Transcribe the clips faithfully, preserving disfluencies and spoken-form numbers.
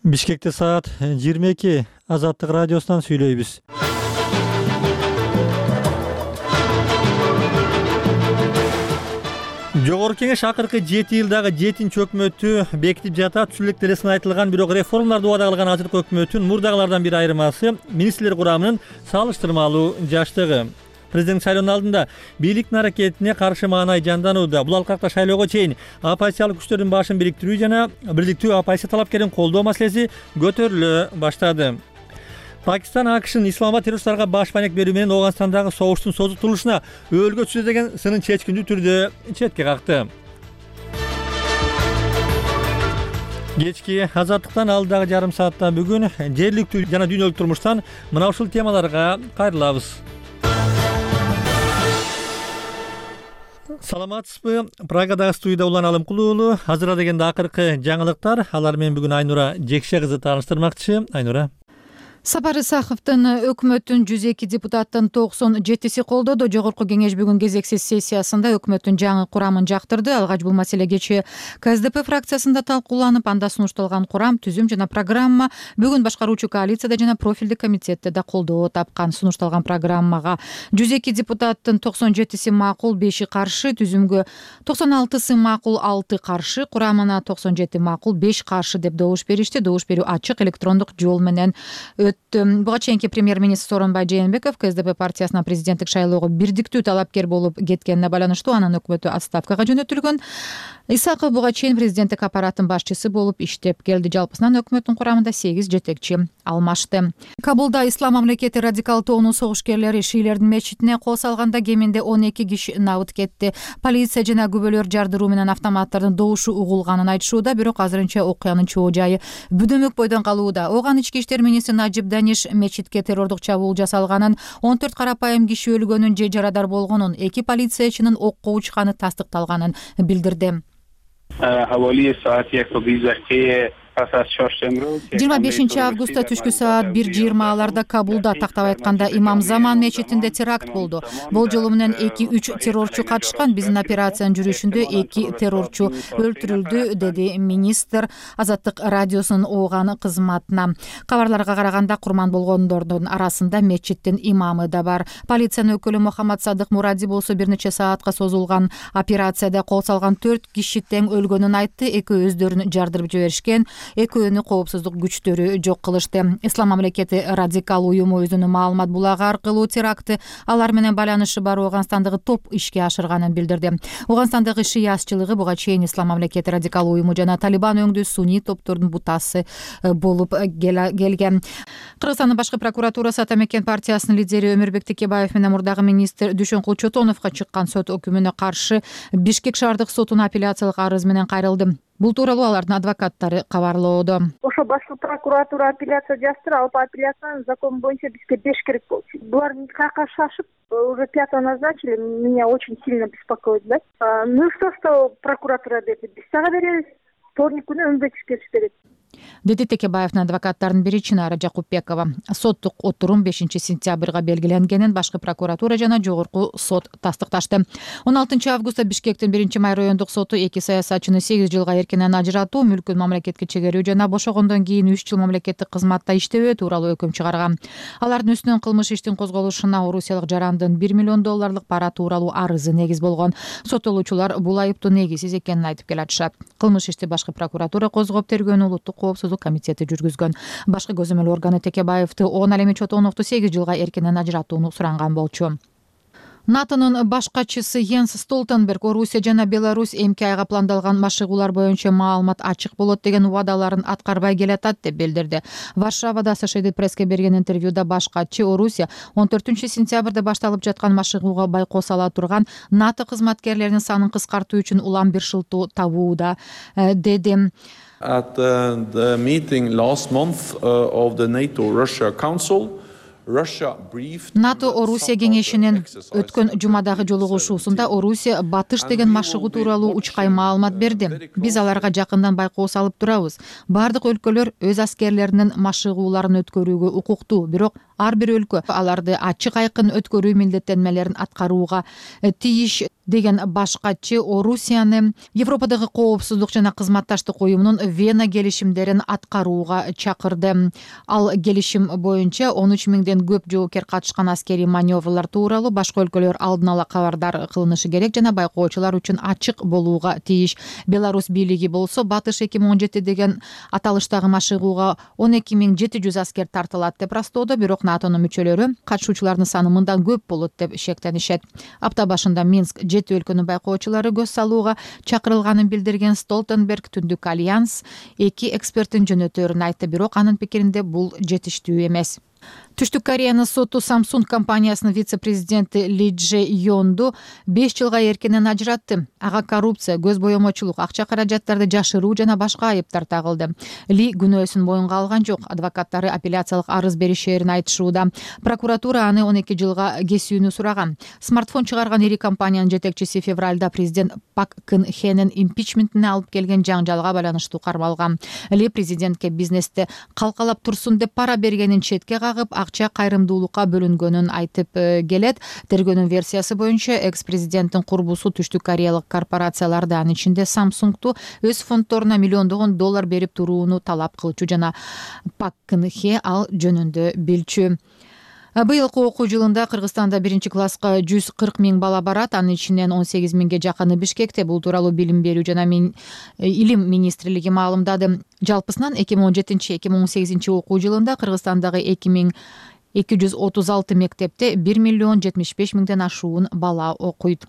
Бишкекте саат жыйырма эки. Азаттык радиосунан сүйлөйбүз. Жогорку Кеңеш акыркы жети жылдагы жетинчи өкмөтү бекитип жатат. Түзүлүк делесин айтылган, бирок реформаларды убада кылган азыркы өкмөттүн мурдагылардан бир айырмасы министрлер курамынын салыштырмалуу жаштыгы. Президент шайлоонун алдында бийликтин аракетине каршы маанай жанданууда. Бул алкакта шайлоого чейин оппозициялык күчтөрдүн башын бириктирүү жана бирдиктүү оппозиция талапкерин колдоо маселеси көтөрүлө баштады. Пакистан АКШнын Исламабад террористтарга баш маек берүү менен Ооганстандагы согуштун созултурулушуна өөлгө түшүүдө деген сынын чечкиндүү түрдө четке какты. Кечки Азаттыктан алдагы жарым саатта бүгүн жергиликтүү жана дүйнөлүк турмуштан мына ушул темаларга кайрылабыз. Саламатсызбы? Прагадагы студияда Улан Алымкулуу уулу. Азыр дегенде акыркы жаңылыктар. Алар менен бүгүн Айнура Жекше кызы тааныштырмакчы. Айнура. Сапар Исаховдун өкмөттүн жүз эки депутаттын токсон жетиси колдоду. Жогорку Кеңеш бүгүн кезексиз сессиясында өкмөттүн жаңы курамын жактырды. Алгач бул маселе кечээ КСДП фракциясында талкууланып, анда сунушталган курам, түзүм жана программа бүгүн башкаруучу коалицияда жана профилдик комитетте да колдоо тапкан. Сунушталган программага жүз эки депутаттын токсон жетиси макул, беши каршы, түзүмгө токсон алтысы макул, алты каршы, курамына токсон жети макул, беш каршы деп добуш беришти. Добуш берүү ачык электрондук жол менен Буга чейинки премьер-министр Сооронбай Жээнбеков КСДП партиясына президенттик шайлоого бирдиктүү талапкер болуп кеткенине байланыштуу анын өкмөтү отставкага жөнөтүлгөн. Исаков буга чейин президенттик аппараттын башчысы болуп иштеп келди. Жалпысынан өкмөттүн курамында сегиз жетекчи алмашты. Кабулда Ислам мамлекети радикал тоонун согушкерлери шиилердин мечитине кол салганда кеминде он эки киши набыт кетти. Полиция жана күбөлөр жардыруу менен автоматтардын добушу угулганын айтышууда, бирок азырынча окуянын чоо жайы бүдөмөк бойдон калууда. Оган ички иштер министри Najib Danish мечитке террордук чабуул жасалганын, он төрт карапайым киши өлгөнүн же жарадар болгонун, эки полициячынын окко учканы тастыкталганын билдирди. жыйырма бешинчи августта түшкү саат бир жыйырмаларда Кабулда, тактап айтканда Имам Заман мечитинде теракт болду. Болжолу менен эки үч террорчу катышкан. Биздин операциянын жүрүшүндө эки террорчу өлтүрүлдү, деди министр Азаттык радиосунун Ооган кызматына. Кабарларга караганда курман болгондордун арасында мечиттин имамы да бар. Полициянын өкүлү Мухаммад Садык Муради болсо бир нече саатка созулган операцияда кол салган төрт киши тең өлгөнүн айтты. Экөө өздөрүн жардырып жиберишкен. Экөөнү коопсуздук күчтөрү жок кылышты. Ислам мамлекети радикал уюму өзүнүн маалымат булагы аркылуу теракты алар менен байланышы бар Ооганстандагы топ ишке ашырганын билдирди. Ооганстандагы шиасчылыгы буга чейин Ислам мамлекети радикал уюму жана Талибан өңдүү суний топтордун бутасы болуп келген. Кыргызстандын башкы прокуратурасы Атамекен партиясынын лидери Өмүрбек Текебаев менен мурдагы министр Дүйшөнкул Чотоновго чыккан сот өкүмүнө каршы Бишкек шаардык сотуна апелляциялык арыз менен кайрылды. Бул тууралуу алардын адвокаттары кабарлоодо. Ошо башкы прокуратура апелляция жаздыр, ал апелляциянын закон боюнча бизге беш керек болчу. Булар никакка шашып, уже пятого назначили, меня очень сильно беспокоит, да? Ну что, что прокуратура берди, биз сага беребиз. Вторник күнү Өмбеков келип берет. Деди Текебаевдин адвокаттарынын бири Чынара Жакупбекова. Соттук отурум бешинчи сентябрга белгиленгенин башкы прокуратура жана жогорку сот тастыкташты. он алтынчы августта Бишкектин биринчи май райондук соту эки саясатчыны сегиз жылга эркинен ажыратуу, мүлкүн мамлекетке чегерүү жана бошогондон кийин үч жыл мамлекеттик кызматта иштебөө тууралуу өкүм чыгарган. Алардын үстүнөн кылмыш иштин козголушуна орусиялык жарандын бир миллион долларлык пара тууралуу арызы негиз болгон. Соттолуучулар бул айыптоо негизсиз экенин айтып келатышат. Кылмыш ишти башкы прокуратура козгоп, тергөөнү улуттук коопсуздук комитети жүргүзгөн. Башкы көзөмөл органы Текебаевди он, ал эми Чотоновду сегиз жылга эркинен ажыратууну суранган болчу. НАТОнун башкачысы Йенс Столтенберг Орусия жана Беларусь эмки айга пландалган машыгуулар боюнча маалымат ачык болот деген убадаларын аткарбай келатат деп билдирди. Варшавада Associated Press'ке берген интервьюда башкачы Орусия он төртүнчү сентябрда башталып жаткан машыгууга байкоо сала турган НАТО кызматкерлеринин санын кыскартуу үчүн улам бир шылтоо табууда, деди. At uh, the meeting last month uh, of the NATO-Russia Council, НАТО Орусия кеңешинин өткөн жумадагы жолугушуусунда Орусия батыш деген машыгуу тууралуу учкай маалымат берди. Биз аларга жакындан байкоо салып турабыз. Бардык өлкөлөр өз аскерлеринин машыгууларын өткөрүүгө укуктуу, бирок ар бир өлкө аларды ачык айкын өткөрүү милдеттенмелерин аткарууга тийиш деген баш катчы Орусияны Европадагы коопсуздук жана кызматташтык уюмунун Вена келишимдерин аткарууга чакырды. Ал келишим боюнча он үч миңден көп жоокер катышкан аскерий маневрлар тууралуу башка өлкөлөр алдын ала кабардар кылынышы керек жана байкоочулар үчүн ачык болууга тийиш. Беларусь бийлиги болсо Батыш эки миң он жети деген аталыштагы машыгууга он эки миң жети жүз аскер тартылат деп растоодо, бирок НАТОнун мүчөлөрү катышуучулардын саны мындан көп болот деп шектенишет. Апта башында Минск жети өлкөнүн байкоочулары көз салууга чакырылганын билдирген Столтенберг Түндүк альянс эки эксперттин жөнөтөөрүн айтты, бирок анын пикиринде бул жетиштүү эмес. Түштүк Кореянын соту Samsung компаниясынын вице-президенти Ли Дже Йонду беш жылга эркинен ажыратты. Ага коррупция, көз боемочулук, акча каражаттарды жашыруу жана башка айыптар тагылды. Ли күнөөсүн моюнга алган жок. Адвокаттары апелляциялык арыз беришерин айтышууда. Прокуратура аны он эки жылга кесүүнү сураган. Смартфон чыгарган ири компаниянын жетекчиси февралда президент Пак Кын Хенин импичментине алып келген жаңжалга байланыштуу кармалган. Ли президентке бизнесте калкалап турсун деп пара бергенин четке кагып, акча кайрымдуулукка бөлүнгөнүн айтып келет. Тергөөнүн версиясы боюнча экс-президенттин курбусу түштүк кореялык корпорацияларды, анын ичинде Samsung'ту өз фонддоруна миллиондогон доллар берип турууну талап кылчу жана Пак Кын Хе ал жөнүндө билчү. Быйылкы окуу жылында Кыргызстанда биринчи класска жүз кырк миң бала барат, анын ичинен он сегиз миңге жакыны Бишкекте. Бул тууралуу билим берүү жана илим министрлиги маалымдады. Жалпысынан эки миң он жетинчи эки миң он сегизинчи окуу жылында Кыргызстандагы эки миң эки жүз отуз алты мектепте бир миллион жетимиш беш миңден ашуун бала окуйт.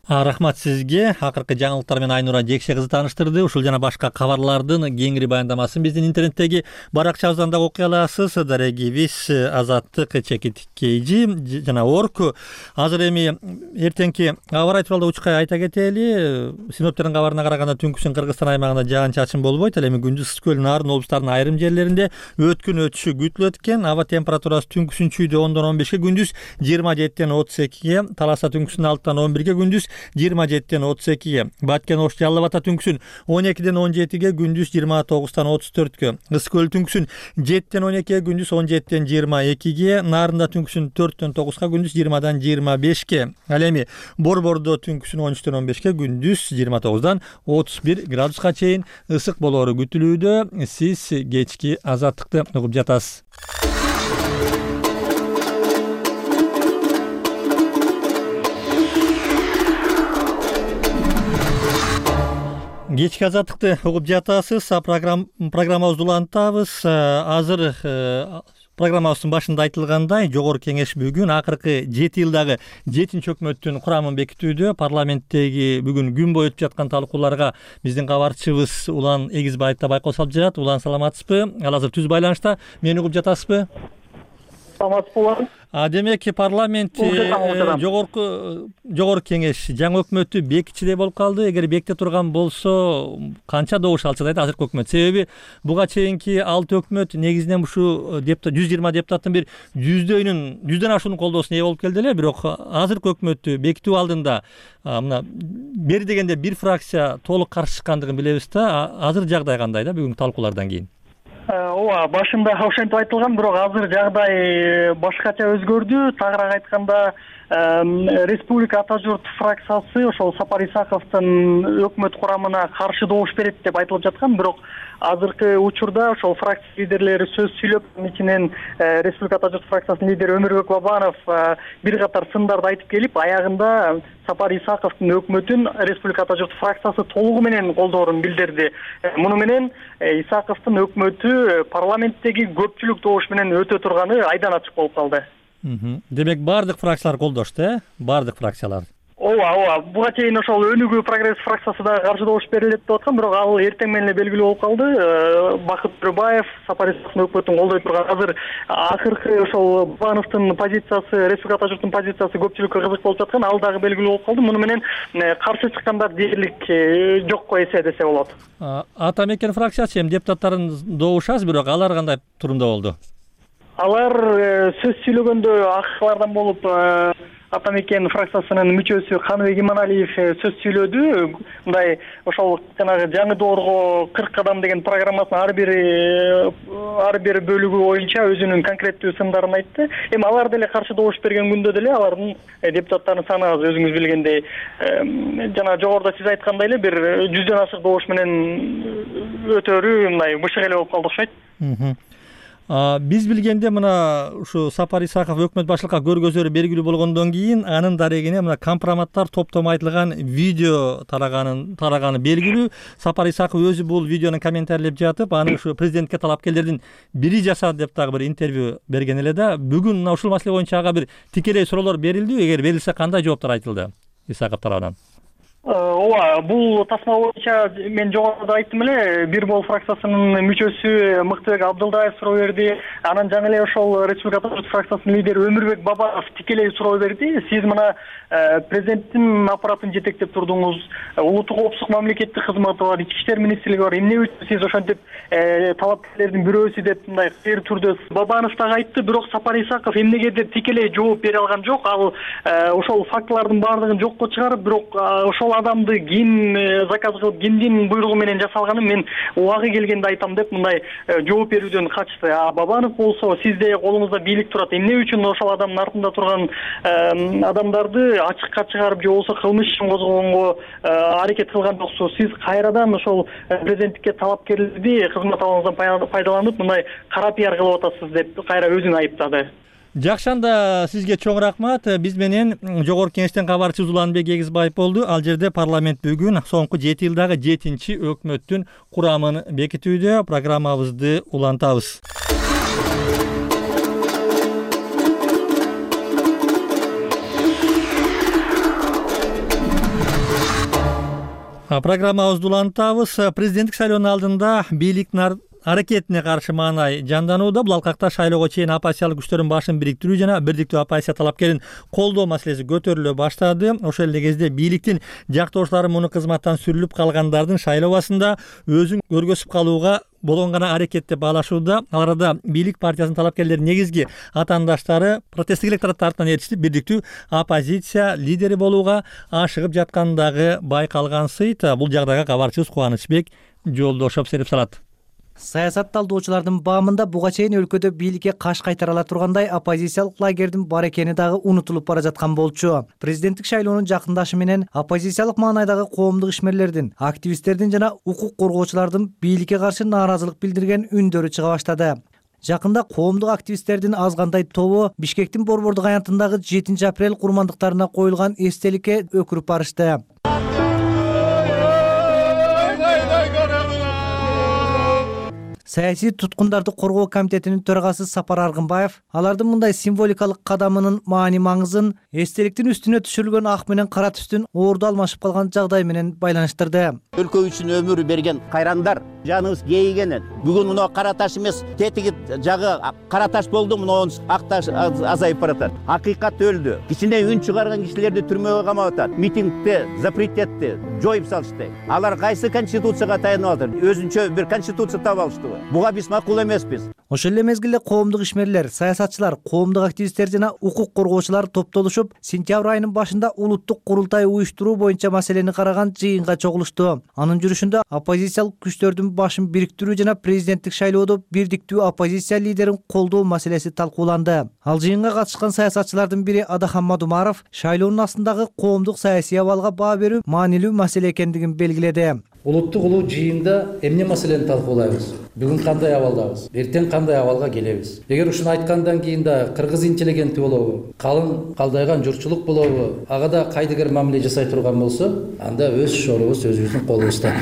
Рахмат сизге. Акыркы жаңылыктар менен Айнура Жекше кызы тааныштырды. Ушул жана башка кабарлардын кеңири баяндамасын биздин интернеттеги баракчабыздан да окуй аласыз. Дарегибиз Азаттык, Чекит Кейжи жана Орку. Азыр эми эртеңки аба ырайы тууралуу учкай айта кетели. Синоптиктердин кабарына караганда түнкүсүн Кыргызстан аймагында жаан-чачын болбойт. Ал эми күндүз ысык көл, Нарын облустарынын айрым жерлеринде өткүн өтүшү күтүлөт экен. Аба температурасы түнкүсүн чүйдө ондон он бешке, күндүз жыйырма жетиден отуз экиге, Таласа түнкүсүн алтыдан он бирге, күндүз жыйырма жетиден отуз экиге, Баткен Ош Жалал Ата түнкүсүн он экиден он жетиге, күндүз жыйырма тогуздан отуз төрткө, Ысык көл түнкүсүн жетиден он экиге, күндүз он жетиден жыйырма экиге, Нарында түнкүсүн төрттөн тогузга, күндүз жыйырмадан жыйырма бешке. Ал эми Борбордо түнкүсүн он үчтөн он бешке, күндүз жыйырма тогуздан отуз бир градуска чейин ысык болоору күтүлүүдө. Сиз кечки Азаттыкты угуп жатасыз. Кечки Азаттыкты угуп жатасыз. Программабызды улантабыз. Азыр программабыздын башында айтылгандай, Жогорку Кеңеш бүгүн акыркы жети жылдагы жетинчи өкмөттүн курамын бекитүүдө. Парламенттеги бүгүн күн бою өтүп жаткан талкууларга биздин кабарчыбыз Улан Эгизбаев да байкол салып жатат. Улан, саламатсызбы? Ал азыр түз байланышта. Мени угуп жатасызбы? Саламатсызбы? Демек парламент жогорку жогорку кеңеш жаңы өкмөттү бекитчидей болуп калды. Эгер беките турган болсо канча добуш алчу дейт азыркы өкмөт? Себеби буга чейинки алты өкмөт негизинен ушу депутат жүз жыйырма депутаттын бир жүздөөнүн жүздөн ашуунун колдоосуна ээ болуп келди эле. Бирок азыркы өкмөттү бекитүү алдында мына бери дегенде бир фракция толук каршы чыккандыгын билебиз да. Азыр жагдай кандай да бүгүнкү талкуулардан кийин? Ооба, башында ошентип айтылган, бирок азыр жагдай башкача өзгөрдү. Тагыраак айтканда, Республика Ата журт фракциясы ошол Сапар Исаковдун өкмөт курамына каршы добуш берет деп айтылып жаткан, бирок азыркы учурда ошол фракция лидерлери сөз сүйлөп, анын ичинен Республика Ата журт фракциясынын лидери Өмүрбек Бабанов бир катар сындарды айтып келип, аягында Сапар Исаковдун өкмөтүн Республика Ата журт фракциясы толугу менен колдоорун билдирди. Муну менен Исаковдун өкмөтү парламенттеги көпчүлүк добуш менен өтө турганы айдан ачык болуп калды. Демек баардык фракциялар колдошту, э? Баардык фракциялар. Ооба, ооба. Буга чейин ошол Өнүгүү прогресс фракциясы да каршы добуш берилет деп аткан, бирок ал эртең менен эле белгилүү болуп калды. Бакыт Төрөбаев Сапар Исаковдун өкмөтүн колдой турган. Азыр акыркы ошол Бабановдун позициясы, Республика Ата журттун позициясы көпчүлүккө кызык болуп жаткан, ал дагы белгилүү болуп калды. Муну менен каршы чыккандар дээрлик жокко эсе десе болот. Ата мекен фракциясы эми депутаттарын добуш аз, бирок алар кандай турумда болду? Алар сөз сүйлөгөндө акырлардан болуп, Ата мекен фракциясынын мүчөсү Каныбек Иманалиев сөз сүйлөдү. Мындай ошол жанагы жаңы доорго кырк кадам деген программасынын ар бир ар бир бөлүгү боюнча өзүнүн конкреттүү сындарын айтты. Эми алар деле каршы добуш берген күндө деле алардын депутаттарынын саны аз, өзүңүз билгендей. Жана жогоруда сиз айткандай эле бир жүздөн ашык добуш менен өтөрү мындай бышык эле болуп калды окшойт. Биз билгенде мына ушу Сапар Исаков өкмөт башчылыкка көргөзөрү белгилүү болгондон кийин анын дарегине мына компроматтар топтомо айтылган видео тараганын тараганы белгилүү. Сапар Исаков өзү бул видеону комментарийлеп жатып, аны ушу президентке талапкерлердин бири жасады деп дагы бир интервью берген эле да. Бүгүн мына ушул маселе боюнча ага бир тикелей суроолор берилди. Эгер берилсе, кандай жооптор айтылды Исаков тарабынан? Ооба, бул тасма боюнча мен жогоруда айттым эле, Бир Бол фракциясынын мүчөсү Мыктыбек Абдылдаев суроо берди. Анан жаңы эле ошол Республика фракциясынын лидери Өмүрбек Бабанов тикелей суроо берди. Сиз мына президенттин аппаратын жетектеп турдуңуз, улуттук коопсуздук мамлекеттик кызматы бар, ички иштер министрлиги бар. Эмне үчүн сиз ошентип талапкерлердин бирөөсү деп мындай кайыр түрдө Бабанов дагы айтты, бирок Сапар Исаков эмнеге деп тикелей жооп бере алган жок. Ал ошол фактылардын баардыгын жокко чыгарып, бирок ошол адамды ким заказ кылып, кимдин буйругу менен жасалганын мен убагы келгенде айтам деп мындай жооп берүүдөн качты. А Бабанов болсо, сизде колуңузда бийлик турат, эмне үчүн ошол адамдын артында турган адамдарды ачыкка чыгарып же болбосо кылмыш ишин козгогонго аракет кылган жоксуз? Сиз кайрадан ошол президенттикке талапкерлерди кызмат абалыңыздан пайдаланып мындай кара пиар кылып атасыз деп кайра өзүн айыптады. Жакшы, анда сизге чоң рахмат. Биз менен жогорку кеңештен кабарчы Уланбек Эгизбаев болду. Ал жерде парламент бүгүн соңку жети жылдагы жетинчи өкмөттүн курамын бекитүүдө. Программабызды улантабыз. Программабызды улантабыз. Президенттик шайлоонун алдында бийликтин аракетине каршы маанай жанданууда. Бул алкакта шайлоого чейин оппозициялык күчтөрдүн башын бириктирүү жана бирдиктүү оппозиция талапкерин колдоо маселеси көтөрүлө баштады. Ошол эле кезде бийликтин жактоочулары муну кызматтан сүрүлүп калгандардын шайлообасында өзүн көргөзүп калууга болгон гана аракет деп баалашууда. Ал арада бийлик партиясынын талапкерлеринин негизги атаандаштары протесттик электорат тартынан ээрчитип бирдиктүү оппозиция лидери болууга ашыгып жаткандагы байкалган сыйт. Бул жагдайга кабарчыбыз Кубанычбек Жолдошов серип салат. Саясат талдоочулардын баамында буга чейин өлкөдө бийликке каш кайтара ала тургандай оппозициялык лагердин бар экени дагы унутулуп бара жаткан болчу. Президенттик шайлоонун жакындашы менен оппозициялык маанайдагы коомдук ишмерлердин, активисттердин жана укук коргоочулардын бийликке каршы нааразылык билдирген үндөрү чыга баштады. Жакында коомдук активисттердин аз кандай тобу Бишкектин Борбордук аянтындагы жетинчи апрель курмандыктарына коюлган эстеликке өкүрүп барышты. Саясий туткундарды коргоо комитетинин төрагасы Сапар Аргынбаев алардын мындай символикалык кадамынын маани маңызын эстеликтин үстүнө түшүрүлгөн ак менен кара түстүн оорду алмашып калган жагдай менен байланыштырды. Өлкө үчүн өмүр берген кайрандар жаныбыз кейигенен бүгүн мына кара таш эмес, тетиги жагы кара таш болду, мына ак таш азайып баратат. Акыйкат өлдү. Кичине үн чыгарган кишилерди түрмөгө камап атат. Митингди запрет этти, жоюп салышты. Алар кайсы конституцияга таянып атат? Өзүнчө бир конституция таап алышты. Буга биз макул эмеспиз. Ошол эле мезгилде коомдук ишмерлер, саясатчылар, коомдук активисттер жана укук коргоочулар топтолушуп, сентябрь айынын башында улуттук курултай уюштуруу боюнча маселени караган жыйынга чогулушту. Анын жүрүшүндө оппозициялык күчтөрдүн башын бириктирүү жана президенттик шайлоодо бирдиктүү оппозиция лидерин колдоо маселеси талкууланды. Ал жыйынга катышкан саясатчылардын бири Адахан Мадумаров шайлоонун астындагы коомдук саясий абалга баа берүү маанилүү маселе экендигин белгиледи. Улуттук улуу жыйында эмне маселени талкуулайбыз? Бүгүн кандай абалдабыз? Эртең кандай абалга келебиз? Эгер ушуну айткандан кийин да кыргыз интеллигенти болобу, калың калдайган журтчулук болобу, ага да кайдыгер мамиле жасай турган болсо, анда өз шорубуз өзүбүздүн колубузда.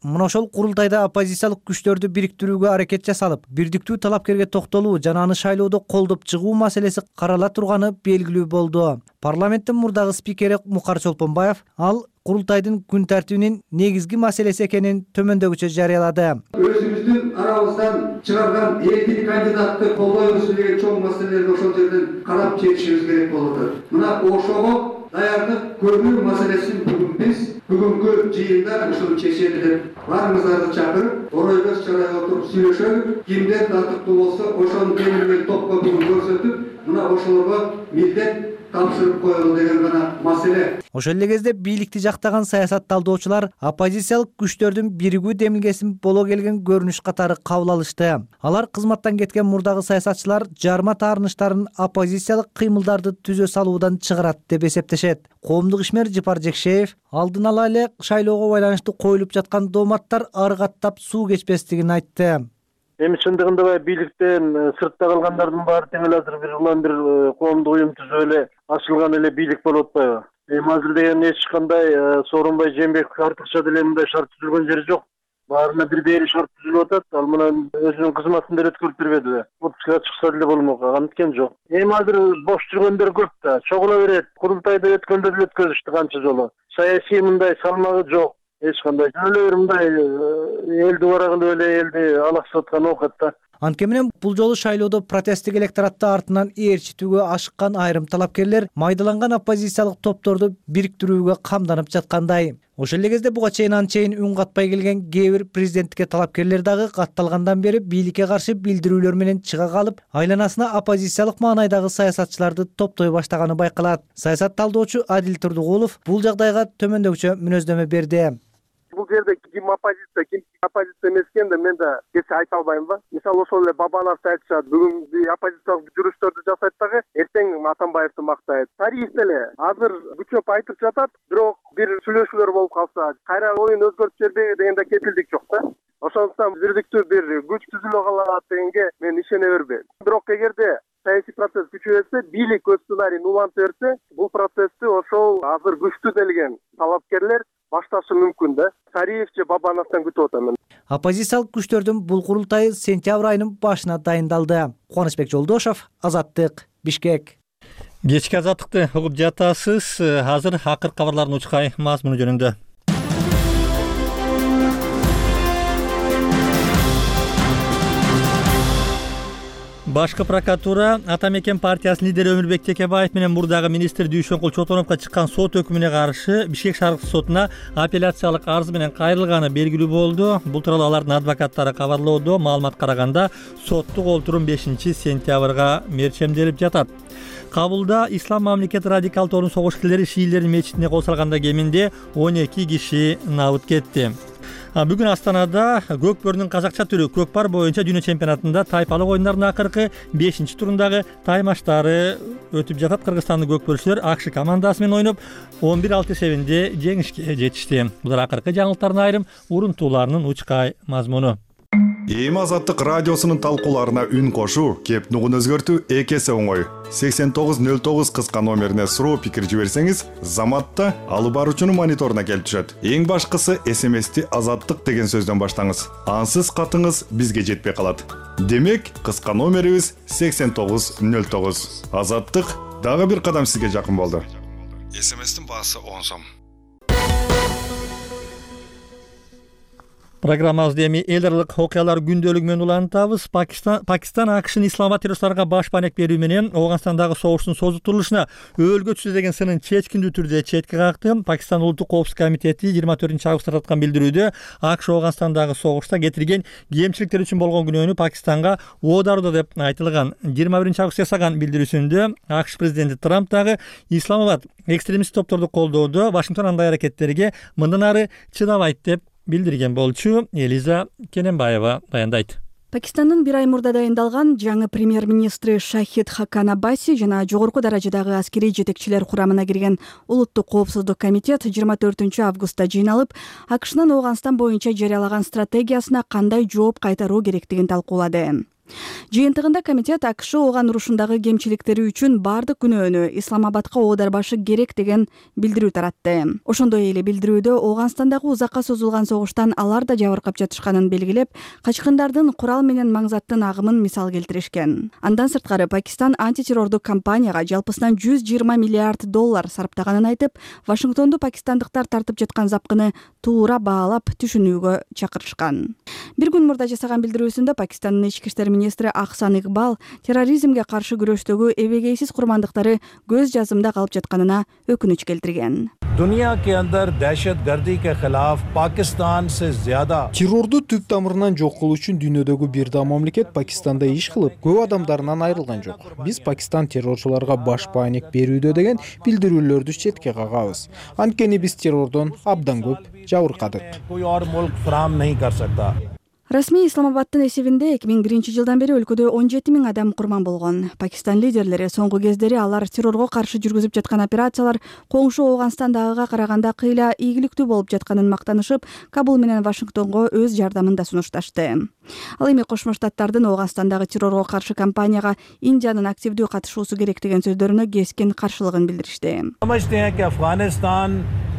Мына ошол курултайда оппозициялык күчтөрдү бириктирүүгө аракет жасалып, бирдиктүү талапкерге токтолуу жана аны шайлоодо колдоп чыгуу маселеси карала турганы белгилүү болду. Парламенттин мурдагы спикери Мукар Чолпонбаев ал курултайдын күн тартибинин негизги маселеси экенин төмөндөгүчө жарыялады. Өзүбүздүн арабыздан чыгарган эркин кандидатты колдойбуз деген чоң маселелерди ошол жерден карап чечишибиз керек болуп атат. Мына ошого даярдык көрүү маселесин бүгүн биз бүгүнкү жыйында ушуну чечели деп баарыңыздарды чакырып, оройбоз чарайга отуруп сүйлөшөлүк. Кимден тартыктуу болсо ошонун темир менен топко бүгүн көрсөтүп, мына ошолорго милдет тапшырып коелу деген гана маселе. Ошол эле кезде бийликти жактаган саясат талдоочулар оппозициялык күчтөрдүн биригүү демилгесин боло келген көрүнүш катары кабыл алышты. Алар кызматтан кеткен мурдагы саясатчылар жарма таарыныштарын оппозициялык кыймылдарды түзө салуудан чыгарат деп эсептешет. Коомдук ишмер Жыпар Жекшеев алдын ала эле шайлоого байланыштуу коюлуп жаткан дооматтар ары каттап суу кечпестигин айтты. Эми чындыгында баягы бийликтен сыртта калгандардын баары тең эле азыр бир улам бир коомдук уюм түзүп эле ачылган эле бийлик болуп атпайбы? Эми азыр деген эч кандай Сооронбай Жээнбеков артыкча деле мындай шарт түзүлгөн жери жок. Баарына бир дээри шарт түзүлүп атат. Ал менен өзүнүн кызматын деле өткөрүп бербеди. Отпускага чыкса деле болмок, анткен жок. Эми азыр бош жүргөндөр көп да, чогула берет. Курултайды өткөндө деле өткөзүштү канча жолу. Саясий мындай салмагы жок. Эч кандай эле бир мындай элди бара кылып эле элди алаксып аткан оокат да. Анткени менен бул жолу шайлоодо протесттик электоратты артынан ээрчитүүгө ашыккан айрым талапкерлер майдаланган оппозициялык топторду бириктирүүгө камданып жаткандай. Ошол эле кезде буга чейин анчейин үн катпай келген кээ бир президенттикке талапкерлер дагы катталгандан бери бийликке каршы билдирүүлөр менен чыга калып, айланасына оппозициялык маанайдагы саясатчыларды топтой баштаганы байкалат. Саясат талдоочу Адил Турдугулов бул жагдайга төмөндөгүчө мүнөздөмө берди. Бул жерде ким оппозиция, ким оппозиция эмес экенин мен да кече айта албайм ба. Мисалы ошол эле Бабанов айтышат, бүгүн оппозициялык жүрүштөрдү жасайт дагы, эртең Атамбаевди мактайт. Тарих деле азыр күчөп айтып жатат, бирок бир сүйлөшүүлөр болуп калса, кайра оюн өзгөртүп жибербейби деген да кепилдик жок да. Ошондуктан бирдиктүү бир күч түзүлө калат дегенге мен ишене бербейм. Бирок эгерде саясий процесс күчөйсө, бийлик өз сценарийин улантып берсе, бул процессти ошол азыр күчтүү делген талапкерлер башташы мүмкүн да. Тариф же Бабановдон күтүп атам. Оппозициялык күчтөрдүн бул курултайы сентябрь айынын башына дайындалды. Кубанычбек Жолдошов, Азаттык, Бишкек. Кечки азаттыкты угуп жатасыз. Азыр акыркы кабарлардын учкай мазмуну жөнүндө. Башкы прокуратура Ата мекен партиясынын лидери Өмүрбек Текебаев менен мурдагы министр Дүйшөнкул Чотоновго чыккан сот өкүмүнө каршы Бишкек шааркы сотуна апелляциялык арыз менен кайрылганы белгилүү болду. Бул тууралуу алардын адвокаттары кабарлоодо. Маалымат караганда соттук олтурум бешинчи сентябрга мерчемделип жатат. Кабулда Ислам мамлекети радикал тобунун согуш шиилердин мечитине кол салганда кеминде он эки киши набыт кетти. Бүгүн Астанада көкпөрдүн казакча түрү көкпар боюнча дүйнө чемпионатында тайпалык оюндарынын акыркы бешинчи турундагы таймаштары өтүп жатат. Кыргызстандын көкпөрчүлөр АКШ командасы менен ойноп он бир алты эсебинде жеңишке жетишти. Булар акыркы жаңылыктардын айрым урунтууларынын учкай мазмуну. Эми Азаттык радиосунун талкууларына үн кошуу, кеп нугун өзгөртүү эки эсе оңой. сексен тогуз нөл тогуз кыска номерине суроо пикир жиберсеңиз, Заматта алып баруучунун мониторуна келип түшөт. Эң башкысы эс эм эсти Азаттык деген сөздөн баштаңыз. Ансыз катыңыз бизге жетпей калат. Демек, кыска номерибиз сексен тогуз нөл тогуз. Азаттык дагы бир кадам сизге жакын болду. эс эм эстин баасы он сом. Программабызды эми эл аралык окуялар күндөлүгү менен улантабыз. Пакистан Пакистан АКШнын Исламабад террористтарга баш банек берүү менен Ооганстандагы согуштун созултурулушуна өлгөчү деген сынын чечкиндүү түрдө четке какты. Пакистан улуттук коопсуздук комитети жыйырма төртүнчү августта тарткан билдирүүдө АКШ Ооганстандагы согушта кетирген кемчиликтер үчүн болгон күнөөнү Пакистанга оодарууда деп айтылган. жыйырма биринчи августта жасаган билдирүүсүндө АКШ президенти Трамп дагы Исламабад экстремист топторду колдоодо Вашингтон андай аракеттерге мындан ары чыдабайт деп билдирген болчу. Элиза Кененбаева баяндайт. Пакистандын бир ай мурда дайындалган жаңы премьер-министри Шахид Хакан Аббаси жана жогорку даражадагы аскерий жетекчилер курамына кирген улуттук коопсуздук комитет жыйырма төртүнчү августта жыйналып, АКШнын Ооганстан боюнча жарыялаган стратегиясына кандай жооп кайтаруу керектигин талкуулады. Жыйынтыгында комитет АКШ Ооган урушундагы кемчиликтери үчүн бардык күнөөнү Исламабадка оодарбашы керек деген билдирүү таратты. Ошондой эле билдирүүдө Ооганстандагы узакка созулган согуштан алар да жабыркап жатышканын белгилеп, качкындардын курал менен маңзаттын агымын мисал келтиришкен. Андан сырткары Пакистан антитеррордук кампанияга жалпысынан жүз жыйырма миллиард доллар сарптаганын айтып, Вашингтонду пакистандыктар тартып жаткан запкыны туура баалап түшүнүүгө чакырышкан. Бир күн мурда жасаган билдирүүсүндө Пакистандын ички иштер министри Ахсан Игбал терроризмге каршы күрөштөгү эбегейсиз курмандыктары көз жазымда калып жатканына өкүнүч келтирген. दुनिया के अंदर दहशतगर्दी के खिलाफ पाकिस्तान से ज्यादा террорду түп тамырынан жок кылуу үчүн дүйнөдөгү бир да мамлекет Пакистанда иш кылып, көп адамдарынан айрылган жок. Биз Пакистан террорчуларга баш бааник берүүдө деген билдирүүлөрдү четке кагабыз. Анткени биз террордон абдан көп жабыркадык. कोई और मुल्क फराहम नहीं कर सकता. Расмий Исламабадтын эсебинде эки миң биринчи жылдан бери өлкөдө он жети миң адам курман болгон. Пакистан лидерлери соңку кездери алар террорго каршы жүргүзүп жаткан операциялар коңшу Ооганстандагыга караганда кыйла ийгиликтүү болуп жатканын мактанышып, Кабул менен Вашингтонго өз жардамын да сунушташты. Ал эми Кошмо Штаттардын Ооганстандагы террорго каршы кампанияга Индиянын активдүү катышуусу керек деген сөздөрүнө кескин каршылыгын билдиришти.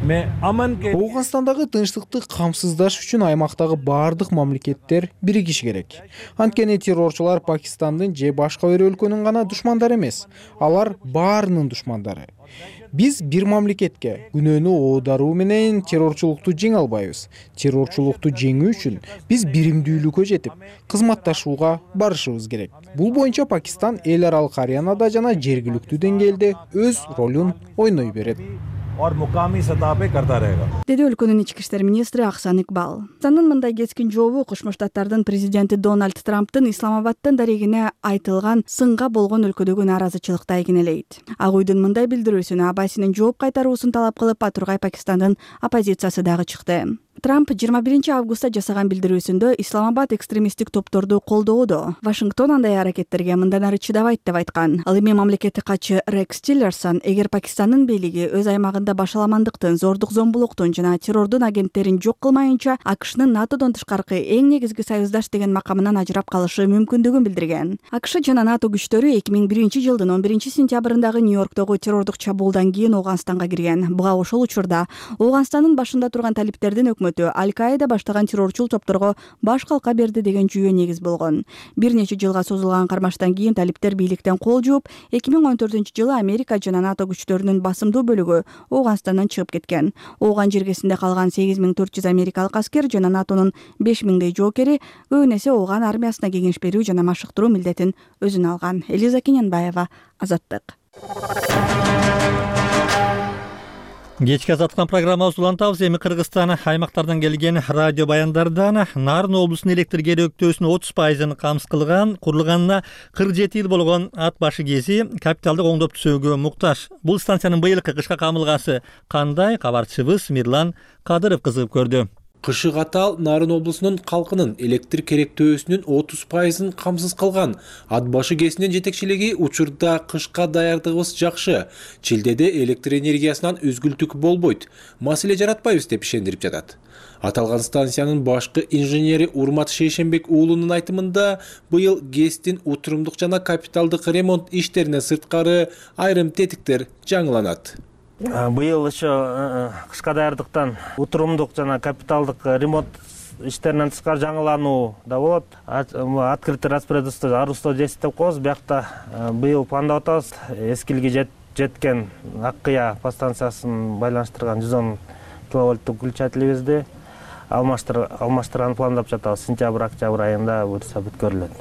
Ооганстандагы тынчтыкты камсыздаш үчүн аймактагы баардык мамлекеттер биригиш керек. Анткени террорчулар Пакистандын же башка бир өлкөнүн гана душмандары эмес, алар баарынын душмандары. Биз бир мамлекетке күнөөнү оодаруу менен террорчулукту жеңе албайбыз. Террорчулукту жеңүү үчүн биз биримдүүлүккө жетип, кызматташууга барышыбыз керек. Бул боюнча Пакистан эл аралык аренада жана жергиликтүү деңгээлде өз ролун ойной берет. Деди өлкөнүн ички иштер министри Аксан Икбал. Пакистандын мындай кескин жообу Кошмо Штаттардын президенти Дональд Трамптын Исламабадтын дарегине айтылган сынга болгон өлкөдөгү нааразычылыкты айгинелейт. Ак уйдун мындай билдирүүсүнө Абасинин жооп кайтаруусун талап кылып, Батургай Пакистандын оппозициясы дагы чыкты. Трамп жыйырма биринчи августта жасаган билдирүүсүндө Исламабад экстремисттик топторду колдоодо. Вашингтон андай аракеттерге мындан ары чыдабайт деп айткан. Ал эми мамлекеттик катчы Рекс Тиллерсон эгер Пакистандын бийлиги өз аймагында башаламандыктын, зордук зомбулуктун жана террордун агенттерин жок кылмайынча АКШнын НАТОдон тышкаркы эң негизги союздаш деген макамынан ажырап калышы мүмкүндүгүн билдирген. АКШ жана НАТО күчтөрү эки миң биринчи жылдын он биринчи сентябрындагы Нью-Йорктогу террордук чабуулдан кийин Ооганстанга кирген. Буга ошол учурда Ооганстандын башында турган талиптердин өкмөтү Аль-Каида баштаган террорчул топторго баш калка берди деген жүйө негиз болгон. Бир нече жылга созулган кармаштан кийин талиптер бийликтен кол жууп, эки миң он төртүнчү жылы Америка жана НАТО күчтөрүнүн басымдуу бөлүгү Ооганстандан чыгып кеткен. Ооган жергесинде калган сегиз миң төрт жүз америкалык аскер жана НАТОнун беш миңдей жоокери көбүн эсе Ооган армиясына кеңеш берүү жана машыктыруу милдетин өзүнө алган. Элиза Кененбаева, Азаттык. Кечки азаттык программабыз улантабыз. Эми Кыргызстан аймактардан келген радио баяндардан Нарын облусунун электр керектөөсүнүн отуз пайызын камсыз кылган, курулганына кырк жети жыл болгон Ат башы КЭСи капиталдык оңдоп түзөөгө муктаж. Бул станциянын быйылкы кышка камылгасы кандай? Кабарчыбыз Мирлан Кадыров кызыгып көрдү. Кышы катаал Нарын облусунун калкынын электр керектөөсүнүн отуз пайызын камсыз кылган. Ат башы КЭСинин жетекчилиги учурда кышка даярдыгыбыз жакшы. Чилдеде электр энергиясынан үзгүлтүк болбойт. Маселе жаратпайбыз деп ишендирип жатат. Аталган станциянын башкы инженери Урмат Шейшенбек уулунун айтымында быйыл КЭСтин утурумдук жана капиталдык ремонт иштерине сырткары айрым тетиктер жаңыланат. Быйыл еще кышка даярдыктан утурумдук жана капиталдык ремонт иштеринен тышкары жаңылануу да болот. Открытый распорядительство арусто десять деп коебуз. Биякта быйыл пландап атабыз. Эскилге жеткен Аккыя подстанциясын байланыштырган жүз он киловольттук включателибизди алмаштырганды пландап жатабыз. Сентябрь-октябрь айында буюрса бүткөрүлөт.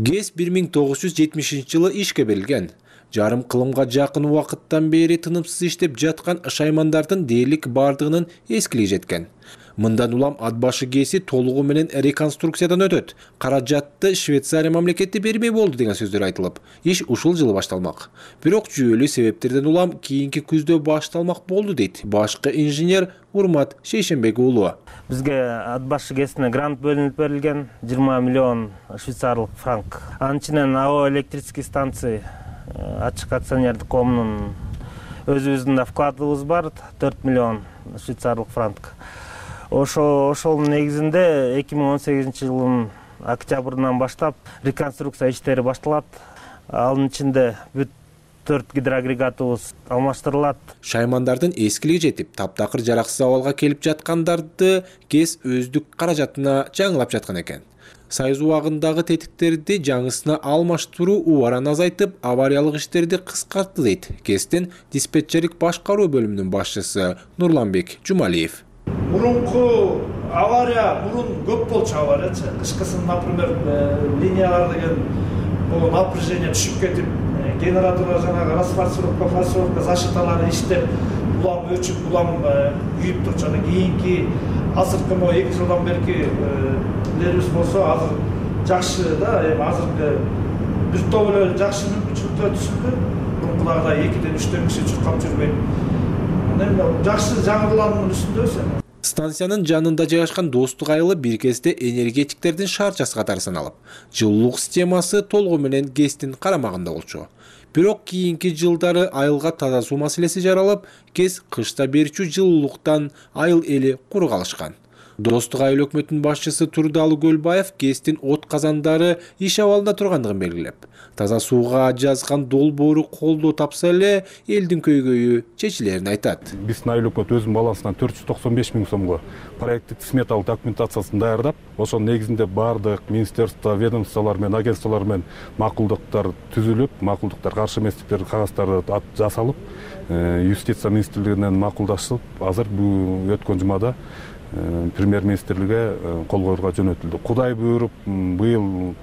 КЭС бир миң тогуз жүз жетимишинчи жылы ишке берилген. Жарым кылымга жакын убакыттан бери тынымсыз иштеп жаткан шаймандардын дээрлик бардыгынын эскилиги жеткен. Мындан улам Ат башы КЭСи толугу менен реконструкциядан өтөт. Каражатты Швейцария мамлекети бермей болду деген сөздөр айтылып, иш ушул жылы башталмак. Бирок жүйөлүү себептерден улам кийинки күздө башталмак болду дейт башкы инженер Урмат Шейшенбек уулу. Бизге Ат башы КЭСине грант бөлүнүп берилген жыйырма миллион швейцарлык франк. Анын ичинен АО электрический станции ачык акционердик коомунун өзүбүздүн да вкладыбыз бар, төрт миллион швейцарлык франк. Ошо ошонун негизинде эки миң он сегизинчи жылдын октябрынан баштап реконструкция иштери башталат. Анын ичинде бүт төрт гидроагрегатыбыз алмаштырылат. Шаймандардын эскилиги жетип, таптакыр жараксыз абалга келип жаткандарды КЭС өздүк каражатына жаңылап жаткан экен. Сайыз убагындагы тетиктерди жаңысына алмаштыруу убаран азайтып, авариялык иштерди кыскартты дейт КЭСтин диспетчерлик башкаруу бөлүмүнүн башчысы Нурланбек Жумалиев. Мурунку авария, мурун көп болчу авариячы. Кышкысын, например, линиялар деген бул напряжение түшүп кетип, генераторлор жанагы расфасовка, фасовка, защиталары иштеп, улам өчүп улам күйүп турчу. Анан кийинки азыркы могу эки жылдан берки элерибиз болсо азыр жакшы да, эми азыркы бир топ эле жакшы мүмкүнчүлүктөр түшүндү. Мурункудагыдай экиден үчтөн киши чуркап жүрбөйт. Анан жакшы жаңырылуунун үстүндөбүз. Станциянын жанында жайгашкан Достук айылы бир кезде энергетиктердин шаарчасы катары саналып, жылуулук системасы толугу менен ГЭСтин карамагында болчу. Бирок кийинки жылдары айылга таза суу маселеси жаралып, ГЭС кышта берүүчү жылуулуктан айыл эли куру калышкан. Достук айыл өкмөтүнүн башчысы Турдалы Көлбаев ГЭСтин от казандары иш абалында тургандыгын белгилеп, таза сууга жазган долбоору колдоо тапса эле элдин көйгөйү чечилерин айтат. Биздин айыл өкмөт өзүнүн балансынан төрт жүз токсон беш миң сомго проекттик сметалык документациясын даярдап, ошонун негизинде бардык министерство, ведомстволор менен агентстволор менен макулдуктар түзүлүп, макулдуктар каршы эместиктер кагаздары жасалып, юстиция министрлигинен макулдашып, азыр бул өткөн жумада премьер-министрликке кол коюлга жөнөтүлдү. Кудай буйруп, быйыл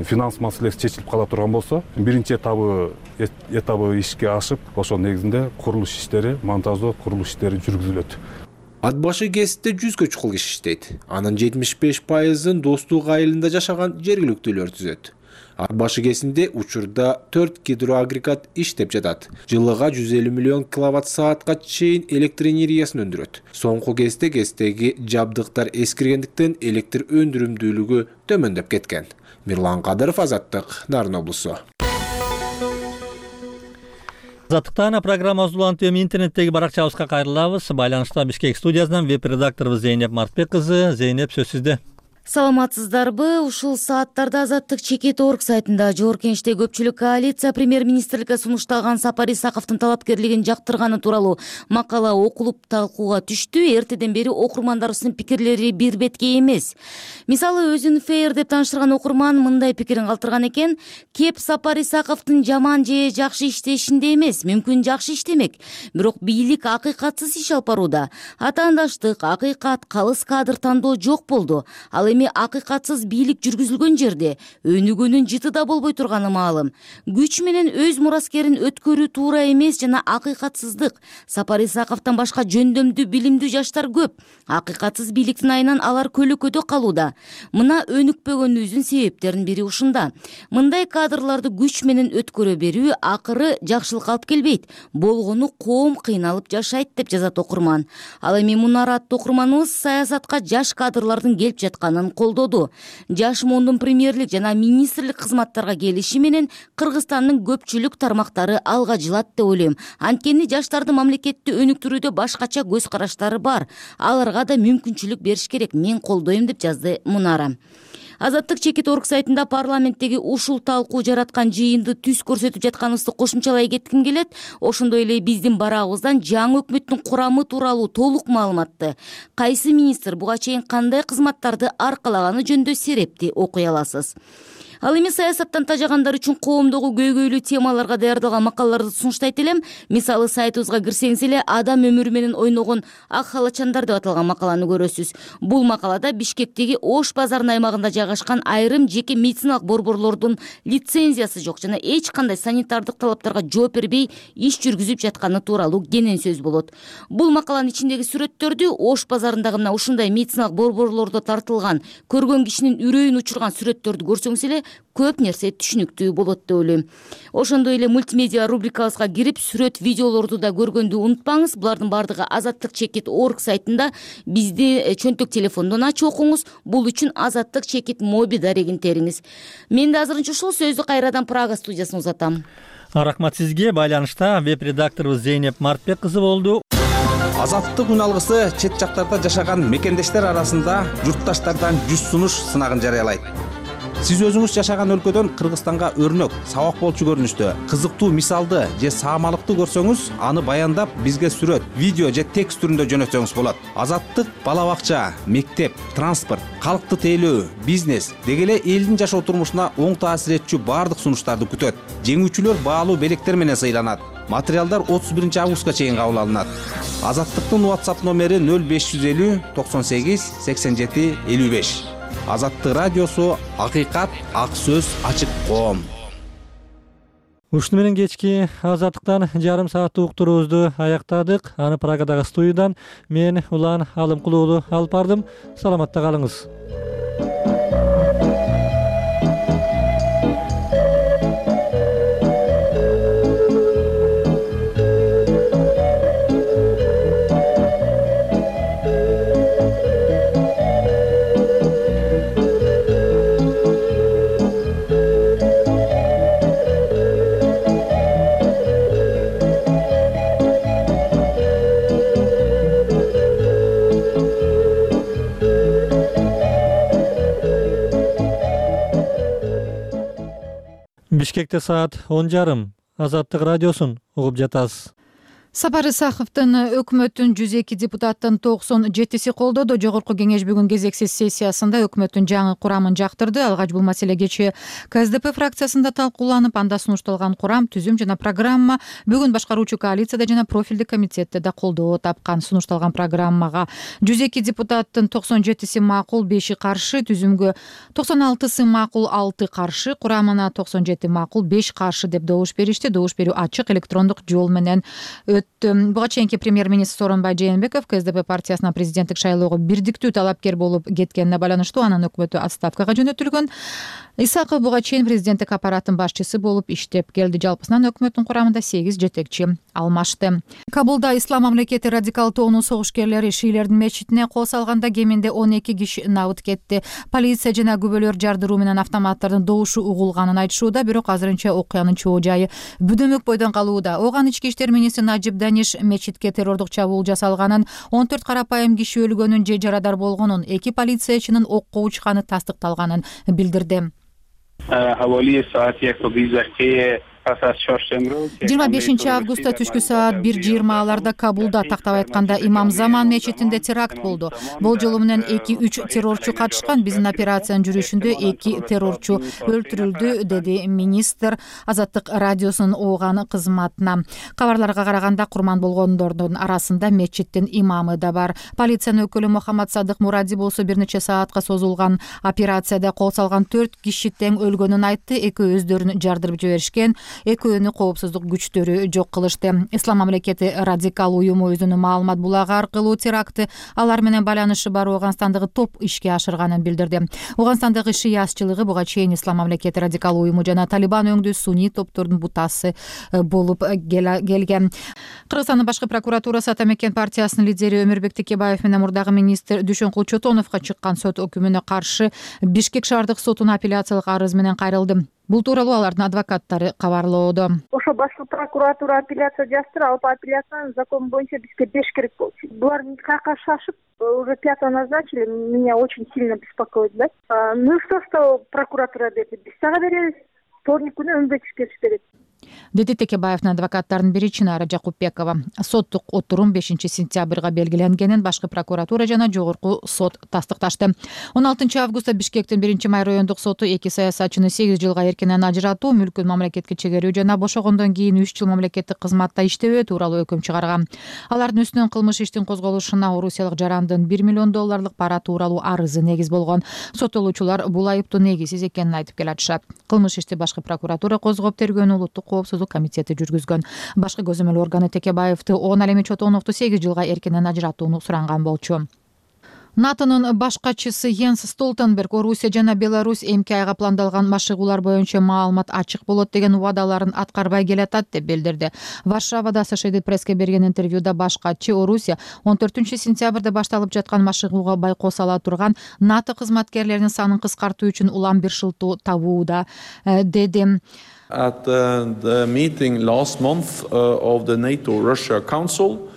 финанс маселеси чечилип кала турган болсо, биринчи этабы этабы ишке ашып, ошонун негизинде курулуш иштери, монтаждоо курулуш иштери жүргүзүлөт. Ат башы ГЭСте жүзгө чукул киши иштейт. Анын жетимиш беш пайызын Достук айылында жашаган жергиликтүүлөр түзөт. Ат башы ГЭСинде учурда төрт гидроагрегат иштеп жатат. Жылыга жүз элүү миллион киловатт саатка чейин электр энергиясын өндүрөт. Соңку кезде ГЭСтеги жабдыктар эскиргендиктен электр өндүрүмдүүлүгү төмөндөп кеткен. Мирлан Кадыров, Азаттык, Нарын облусу. Азаттыктан программабызды улантып эми интернеттеги баракчабызга кайрылабыз. Байланышта Бишкек студиясынан веб-редакторубуз Зейнеп Мартбек кызы. Зейнеп, сөз сизде. Саламатсыздарбы? Ушул сааттарда Азаттык чекит орг сайтында Жогорку Кеңеште көпчүлүк коалиция премьер-министрликке сунушталган Сапар Исаковдун талапкерлигин жактырганы тууралуу макала окулуп талкууга түштү. Эртеден бери окурмандарыбыздын пикирлери бир бетке эмес. Мисалы, өзүн фейр деп тааныштырган окурман мындай пикирин калтырган экен: кеп Сапар Исаковдун жаман же жакшы иштешинде эмес, мүмкүн жакшы иштемек, бирок бийлик акыйкатсыз иш алып барууда. Атаандаштык, акыйкат, калыс кадр тандоо жок болду. Ал эми акыйкатсыз бийлик жүргүзүлгөн жерде өнүгүүнүн жыты да болбой турганы маалым. Күч менен өз мураскерин өткөрүү туура эмес жана акыйкатсыздык. Сапар Исаковдон башка жөндөмдүү, билимдүү жаштар көп. Акыйкатсыз бийликтин айынан алар көлөкөдө калууда. Мына өнүкпөгөнүбүздүн себептеринин бири ушунда. Мындай кадрларды күч менен өткөрө берүү акыры жакшылыкка алып келбейт. Болгону коом кыйналып жашайт деп жазат окурман. Ал эми Мунара аттуу окурманыбыз саясатка жаш кадрлардын келип жатканын колдоду. Жаш мондун премьерлик жана министрлик кызматтарга келиши менен Кыргызстандын көпчүлүк тармактары алга жылат деп ойлойм. Анткени жаштардын мамлекетти өнүктүрүүдө башкача көз караштары бар. Аларга да мүмкүнчүлүк бериш керек. Мен колдойм деп жазды Мунара. Азаттык чекит орг сайтында парламенттеги ушул талкуу жараткан жыйынды түз көрсөтүп жатканыбызды кошумчалай кетким келет. Ошондой эле биздин барагыбыздан жаңы өкмөттүн курамы тууралуу толук маалыматты, кайсы министр буга чейин кандай кызматтарды аркалаганы жөнүндө серепти окуй аласыз. Ал эми саясаттан тажагандар үчүн коомдогу көйгөйлүү темаларга даярдалган макалаларды сунуштайт элем. Мисалы, сайтыбызга кирсеңиз эле адам өмүрү менен ойногон ак халачандар деп аталган макаланы көрөсүз. Бул макалада Бишкектеги Ош базарынын аймагында жайгашкан айрым жеке медициналык борборлордун лицензиясы жок жана эч кандай санитардык талаптарга жооп бербей иш жүргүзүп жатканы тууралуу кенен сөз болот. Бул макаланын ичиндеги сүрөттөрдү Ош базарындагы мына ушундай медициналык борборлордо тартылган, көргөн кишинин үрөйүн учурган сүрөттөрдү көрсөңүз эле көп нерсе түшүнүктүү болот деп ойлойм. Ошондой эле мультимедиа рубрикабызга кирип, сүрөт, видеолорду да көргөндү унутпаңыз. Булардын бардыгы Азаттык чекит орг сайтында. Бизди чөнтөк телефондон ачып окуңуз. Бул үчүн Азаттык чекит моби дарегин териңиз. Мен да азырынча ушул сөздү кайрадан Прага студиясына узатам. Рахмат сизге. Байланышта веб-редакторубуз Зейнеп Мартбек кызы болду. Азаттык үн алгысы чет жактарда жашаган мекендештер арасында журтташтардан жүз сунуш сынагын жарыялайт. Сиз өзүңүз жашаган өлкөдөн Кыргызстанга өрнөк, сабак болчу көрүнүштө кызыктуу мисалды же саамалыкты көрсөңүз, аны баяндап бизге сүрөт, видео же текст түрүндө жөнөтсөңүз болот. Азаттык бала бакча, мектеп, транспорт, калкты тейлөө, бизнес деги эле элдин жашоо турмушуна оң таасир этчү бардык сунуштарды күтөт. Жеңүүчүлөр баалуу белектер менен сыйланат. Материалдар отуз биринчи августка чейин кабыл алынат. Азаттыктын WhatsApp номери нөл беш жүз элүү токсон сегиз сексен жети элүү беш. Азаттык радиосу, акыйкат, ак сөз, ачык коом. Ушуну менен кечки азаттыктан жарым сааттык уктуруубузду аяктадык. Аны Прагадагы студиядан мен Улан Алымкулуу уулу алып бардым. Саламатта калыңыз. Бишкекте саат он жарым. Азаттык радиосун угуп жатасыз. Сапар Исаховдун өкмөттүн жүз эки депутаттын токсон жетиси колдоду. Жогорку кеңеш бүгүн кезексиз сессиясында өкмөттүн жаңы курамын жактырды. Алгач бул маселе кечээ КСДП фракциясында талкууланып, анда сунушталган курам, түзүм жана программа бүгүн башкаруучу коалицияда жана профилдик комитетте да колдоо тапкан. Сунушталган программага жүз эки депутаттын токсон жетиси макул, беши каршы, түзүмгө токсон алтысы макул, алты каршы, курамына токсон жети макул, беш каршы деп добуш беришти. Добуш берүү ачык электрондук жол менен Буга чейинки премьер-министр Сооронбай Жээнбеков КСДП партиясына президенттик шайлоого бирдиктүү талапкер болуп кеткенине байланыштуу анын өкмөтү отставкага жөнөтүлгөн. Исаков буга чейин президенттик аппараттын башчысы болуп иштеп келди. Жалпысынан өкмөттүн курамында сегиз жетекчи алмашты. Кабулда Ислам мамлекети радикал тоонун согушкерлери шиилердин мечитине кол салганда кеминде он эки киши набыт кетти. Полиция жана күбөлөр жардыруу менен автоматтардын добушу угулганын айтышууда, бирок азырынча окуянын чоо жайы бүдөмөк бойдон калууда. Оган ички иштер министри Najib Danish мечитке террордук чабуул жасалганын, он төрт карапайым киши өлгөнүн же жарадар болгонун, эки полициячынын окко учканы тастыкталганын билдирди. жыйырма бешинчи августта түшкү саат бир жыйырмаларда Кабулда, тактап айтканда Имам Заман мечитинде теракт болду. Болжолу менен эки үч террорчу катышкан. Биздин операциянын жүрүшүндө эки террорчу өлтүрүлдү, деди министр Азаттык радиосунун Оган кызматына. Кабарларга караганда курман болгондордун арасында мечиттин имамы да бар. Полициянын өкүлү Мухаммад Садык Муради болсо бир нече саатка созулган операцияда кол салган төрт киши тең өлгөнүн айтты. Экөө өздөрүн жардырып жиберишкен. Экөөнү коопсуздук күчтөрү жок кылышты. Ислам мамлекети радикал уюму өзүнүн маалымат булагы аркылуу терактты алар менен байланышы бар Оганстандагы топ ишке ашырганын билдирди. Оганстандагы шиасчылыгы буга чейин Ислам мамлекети радикал уюму жана Талибан өңдүү сунний топтордун бутасы болуп келген. Кыргызстандын башкы прокуратурасы Ата Мекен партиясынын лидери Өмүрбек Текебаев менен мурдагы министр Дүйшөнкул Чотоновго чыккан сот өкүмүнө каршы Бишкек шаардык сотуна апелляциялык арыз менен кайрылды. Бул тууралуу алардын адвокаттары кабарлоодо. Ошо башкы прокуратура апелляция жаздыр, ал апелляциянын закон боюнча бизге беш керек болчу. Булар никакка шашып, уже пятого назначили, меня очень сильно беспокоит, да? Ну что, что прокуратура берди? Биз сага беребиз. Вторник күнү өңбөчү келип берет. Деди Текебаевдин адвокаттарынын бири Чынара Жакупбекова. Соттук отурум бешинчи сентябрга белгиленгенин башкы прокуратура жана жогорку сот тастыкташты. он алтынчы августта Бишкектин биринчи май райондук соту эки саясатчыны сегиз жылга эркинен ажыратуу, мүлкүн мамлекетке чегерүү жана бошогондон кийин үч жыл мамлекеттик кызматта иштебөө тууралуу өкүм чыгарган. Алардын үстүнөн кылмыш иштин козголушуна орусиялык жарандын бир миллион долларлык пара тууралуу арызы негиз болгон. Соттолуучулар бул айыптоо негизсиз экенин айтып келатышат. Кылмыш ишти башкы прокуратура козгоп тергөөнү улуттук коопсуздук комитети жүргүзгөн. Башкы көзөмөл органы Текебаевди он Алеми Чотоновду сегиз жылга эркинен ажыратууну суранган болчу. НАТОнун башкачысы Йенс Столтенберг Орусия жана Беларусь эмки айга пландалган машыгуулар боюнча маалымат ачык болот деген убадаларын аткарбай келатат деп билдирди. Варшавада Associated Press'ке берген интервьюда башкачы Орусия он төртүнчү сентябрда башталып байкоого байкоого байкоо сала турган НАТО кызматкерлеринин санын кыскартуу үчүн улам бир шылтоо табууда деди. At uh, the meeting last month uh, of the NATO-Russia Council,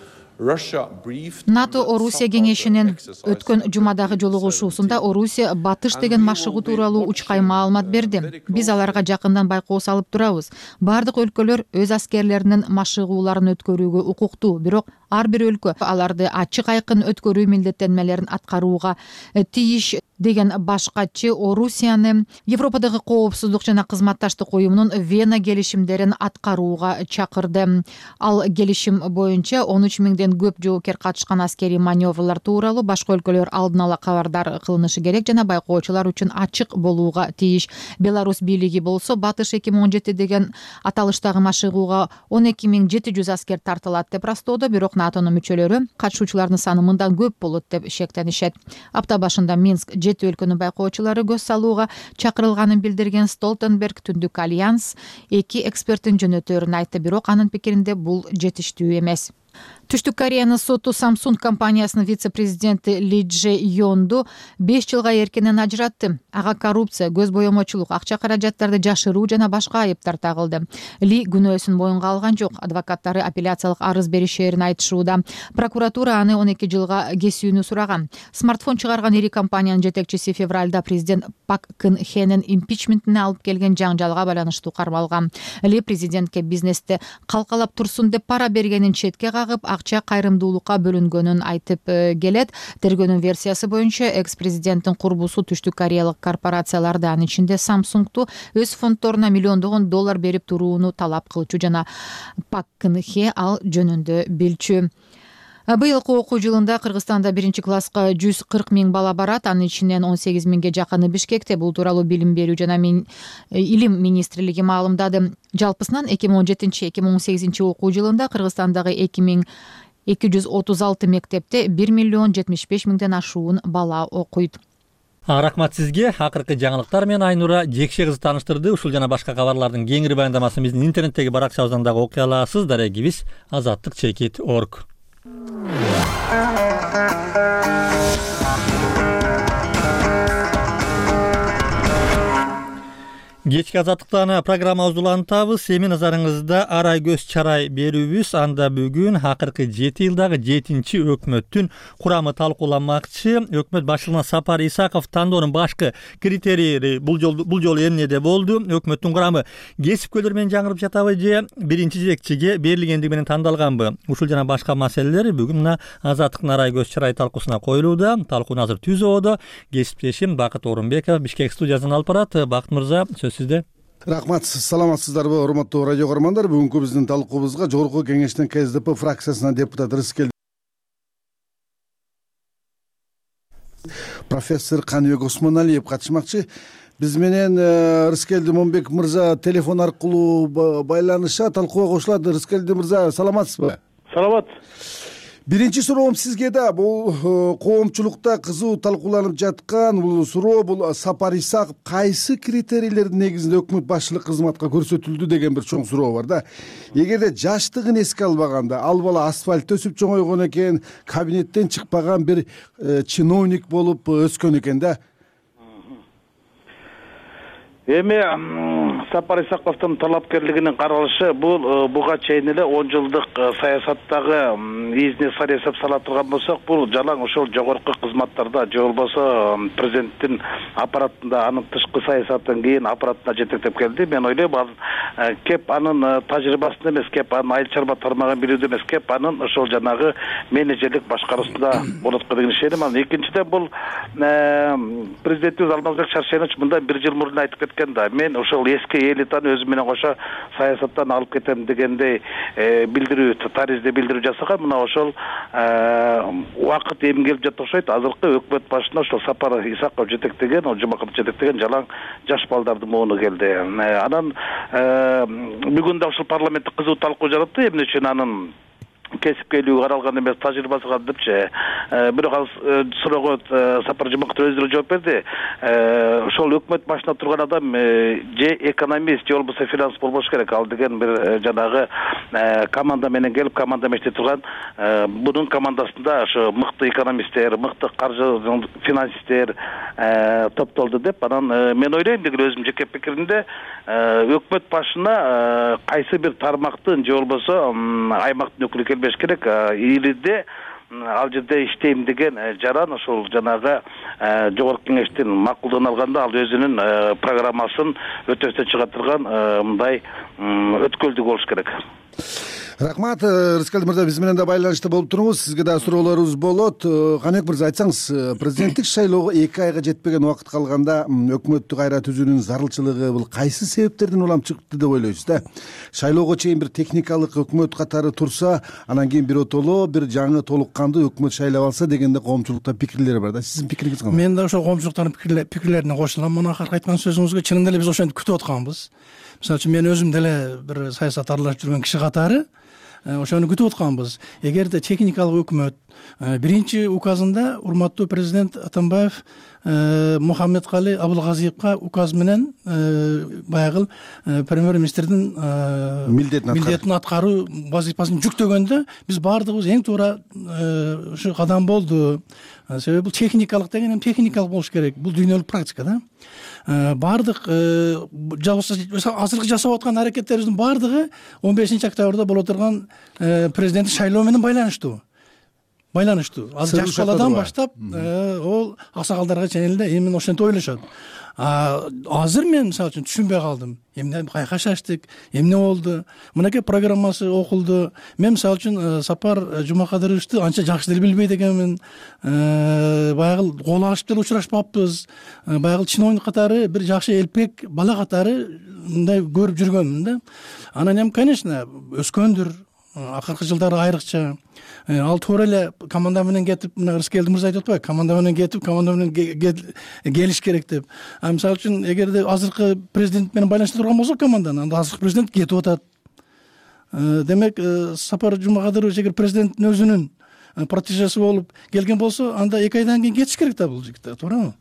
НАТО Орусия кеңешинин өткөн жумадагы жолугушуусунда Орусия батыш деген машыгуу тууралуу учкай маалымат берди. Биз аларга жакындан байкоо салып турабыз. Бардык өлкөлөр өз аскерлеринин машыгууларын өткөрүүгө укуктуу, бирок ар бир өлкө аларды ачык айкын өткөрүү милдеттенмелерин аткарууга тийиш деген баш катчы Орусияны Европадагы коопсуздук жана кызматташтык уюмунун Вена келишимдерин аткарууга чакырды. Ал келишим боюнча он үч миңден көп жоокер катышкан аскерий маневрлар тууралуу башка өлкөлөр алдын ала кабардар кылынышы керек жана байкоочулар үчүн ачык болууга тийиш. Беларусь бийлиги болсо Батыш эки миң он жети деген аталыштагы машыгууга он эки миң жети жүз аскер тартылат деп ырастоодо, бирок НАТОнун мүчөлөрү катышуучулардын саны мындан көп болот деп шектенишет. Апта башында Минск жети өлкөнүн байкоочулары көз салууга чакырылганын билдирген Столтенберг Түндүк альянс эки эксперттин жөнөтөөрүн айтты, бирок анын пикиринде бул жетиштүү эмес. Түштүк Кореянын соту Samsung компаниясынын вице-президенти Ли Дже Йонду беш жылга эркинен ажыратты. Ага коррупция, көз боемочулук, акча каражаттарды жашыруу жана башка айыптар тагылды. Ли күнөөсүн моюнга алган жок. Адвокаттары апелляциялык арыз беришерин айтышууда. Прокуратура аны он эки жылга кесүүнү сураган. Смартфон чыгарган ири компаниянын жетекчиси февралда президент Пак Кын Хенин импичментине алып келген жаңжалга байланыштуу кармалган. Ли президентке бизнесте калкалап турсун деп пара бергенин четке кагып, акча кайрымдуулукка бөлүнгөнүн айтып келет. Тергөөнүн версиясы боюнча экс-президенттин курбусу түштүк кореялык корпорацияларды, анын ичинде Samsung'ту өз фонддоруна миллиондогон доллар берип турууну талап кылчу жана Пак Кын Хе ал жөнүндө билчү. Быйылкы окуу жылында Кыргызстанда биринчи класска жүз кырк миң бала барат, анын ичинен он сегиз миңге жакыны Бишкекте. Бул тууралуу билим берүү жана илим министрлиги маалымдады. Жалпысынан эки миң он жетинчи эки миң он сегизинчи окуу жылында Кыргызстандагы эки миң эки жүз отуз алты мектепте бир миллион жетимиш беш миңден ашуун бала окуйт. Рахмат сизге. Акыркы жаңылыктар менен Айнура Жекше кызы тааныштырды. Ушул жана башка кабарлардын кеңири баяндамасын биздин интернеттеги баракчабыздан дагы окуй аласыз. Дарегибиз азаттык чекит точка орг. Кечки азаттыктан программабызды улантабыз. Эми назарыңызда арай көз чарай берүүбүз. Анда бүгүн акыркы жети жылдагы жетинчи өкмөттүн курамы талкууланмакчы. Өкмөт башчылыгына Сапар Исаков тандоонун башкы критерийи бул жолу бул жолу эмнеде болду? Өкмөттүн курамы кесипкөйлөр менен жаңырып жатабы же биринчи жетекчиге берилгендиги менен тандалганбы? Ушул жана башка маселелер бүгүн мына азаттыктын арай көз чарай талкуусуна коюлууда. Талкууну азыр түзүүдө кесиптешим Бакыт Орунбеков Бишкек студиясынан алып барат. Бакыт мырза, сизде. Рахмат, саламатсыздарбы урматтуу радио көрөрмандар. Бүгүнкү биздин талкуубузга Жогорку Кеңештин КСДП фракциясынан депутат Рыскел профессор Каныбек Осмоналиев катышмакчы. Биз менен Рыскелди Момбек мырза телефон аркылуу байланышат, талкууга кошулат. Рыскелди мырза, саламатсызбы? Саламат. Биринчи суроом сизге да. Бул коомчулукта кызуу талкууланып жаткан бул суроо, бул Сапар Исаков кайсы критерийлердин негизинде өкмөт башчылык кызматка көрсөтүлдү деген бир чоң суроо бар да. Эгерде жаштыгын эске албаганда, ал бала асфальт төсүп чоңойгон экен, кабинеттен чыкпаган бир чиновник болуп өскөн экен да. Эми Сапар Исаковдун талапкерлигинин каралышы бул буга чейин эле он жылдык саясаттагы изине сар эсеп сала турган болсок, бул жалаң ошол жогорку кызматтарда же болбосо президенттин аппаратында, анын тышкы саясаттан кийин аппаратына жетектеп келди. Мен ойлойм, ал кеп анын тажрыйбасын эмес, кеп анын айыл чарба тармагын билүүдө эмес, кеп анын ошол жанагы менеджерлик башкаруусунда болот деген ишенем. Анан экинчиден бул президентибиз Алмазбек Шаршенович мындан бир жыл мурун айтып кеткен да. Мен ошол эски элитаны өзүм менен кошо саясаттан алып кетем дегендей билдирүү, таризде билдирүү жасаган. Мына ошол убакыт эми келип жатат окшойт. Азыркы өкмөт башына ошол Сапар Исаков жетектеген, ол Жумаков жетектеген жалаң жаш балдардын мууну келди. Анан бүгүн да ошол парламентте кызуу талкуу жаратты. Эмне үчүн анын кесипкейлиги каралган эмес, тажрыйбасы калдыпчы. Бирок ал суроого Сапар Жумаков өздөрү жооп берди. Ошол өкмөт башында турган адам же экономист, же болбосо финанс болбош керек. Ал деген бир жанагы команда менен келип, команда менен иштеп турган. Бунун командасында ошо мыкты экономисттер, мыкты каржы финансисттер топтолду деп. Анан мен ойлойм деген өзүм жеке пикиримде, өкмөт башына кайсы бир тармактын же болбосо аймактын өкүлү келбеш керек. Илиде ал жерде иштейм деген жаран ошол жанагы жогорку кеңештин макулдугун алганда ал өзүнүн программасын өтөстөн чыга турган мындай өткөлдүк болуш керек. Рахмат, Рыскелди мырза, биз менен да байланышта болуп туруңуз. Сизге да суроолорубуз болот. Каныбек мырза, айтсаңыз, президенттик шайлоого эки айга жетпеген убакыт калганда өкмөттү кайра түзүүнүн зарылчылыгы бул кайсы себептерден улам чыкты деп ойлойсуз да? Шайлоого чейин бир техникалык өкмөт катары турса, анан кийин бир отоло бир жаңы толук кандуу өкмөт шайлап алса дегенде коомчулукта пикирлер бар да. Сиздин пикириңиз кандай? Мен да ошол коомчулуктардын пикирлерине кошулам. Мына акыркы айткан сөзүңүзгө чынында эле биз ошентип күтүп атканбыз. Мисалы үчүн мен өзүм деле бир саясат аралашып жүргөн киши катары ошону күтүп атканбыз. Эгерде техникалык өкмөт биринчи указында урматтуу президент Атамбаев Мухаммедкали Абылгазиевка указ менен баягы премьер-министрдин милдетин аткаруу вазифасын жүктөгөндө биз баардыгыбыз эң туура ушу кадам болду. Себеби бул техникалык деген эми техникалык болуш керек. Бул дүйнөлүк практика да. Баардык азыркы жасап аткан аракеттерибиздин баардыгы он бешинчи октябрда боло турган президенттик шайлоо менен байланыштуу. Байланыштуу. Азыр жаш баладан баштап ол аксакалдарга чейин эле эми ошентип ойлошот. Азыр мен мисалы үчүн түшүнбөй калдым. Эмне кайка шаштык, эмне болду? Мынакей программасы окулду. Мен мисалы үчүн Сапар Жумакадыровичти анча жакшы деле билбейт экенмин. Баягы кол алышып деле учурашпаппыз. Баягы чиновник катары бир жакшы элпек бала катары мындай көрүп жүргөнмүн да. Анан эми конечно өскөндүр. Акыркы жылдары айрыкча ал туура эле команда менен кетип, мына Рыскелди мырза айтып атпайбы, команда менен кетип, команда менен келиш керек деп. А мисалы үчүн эгерде азыркы президент менен байланышта турган болсок команданы, анда азыркы президент кетип атат. Демек, Сапар Жумакадырович эгер президенттин өзүнүн протежеси болуп келген болсо, анда эки айдан кийин кетиш керек да бул жигиттер, туурабы?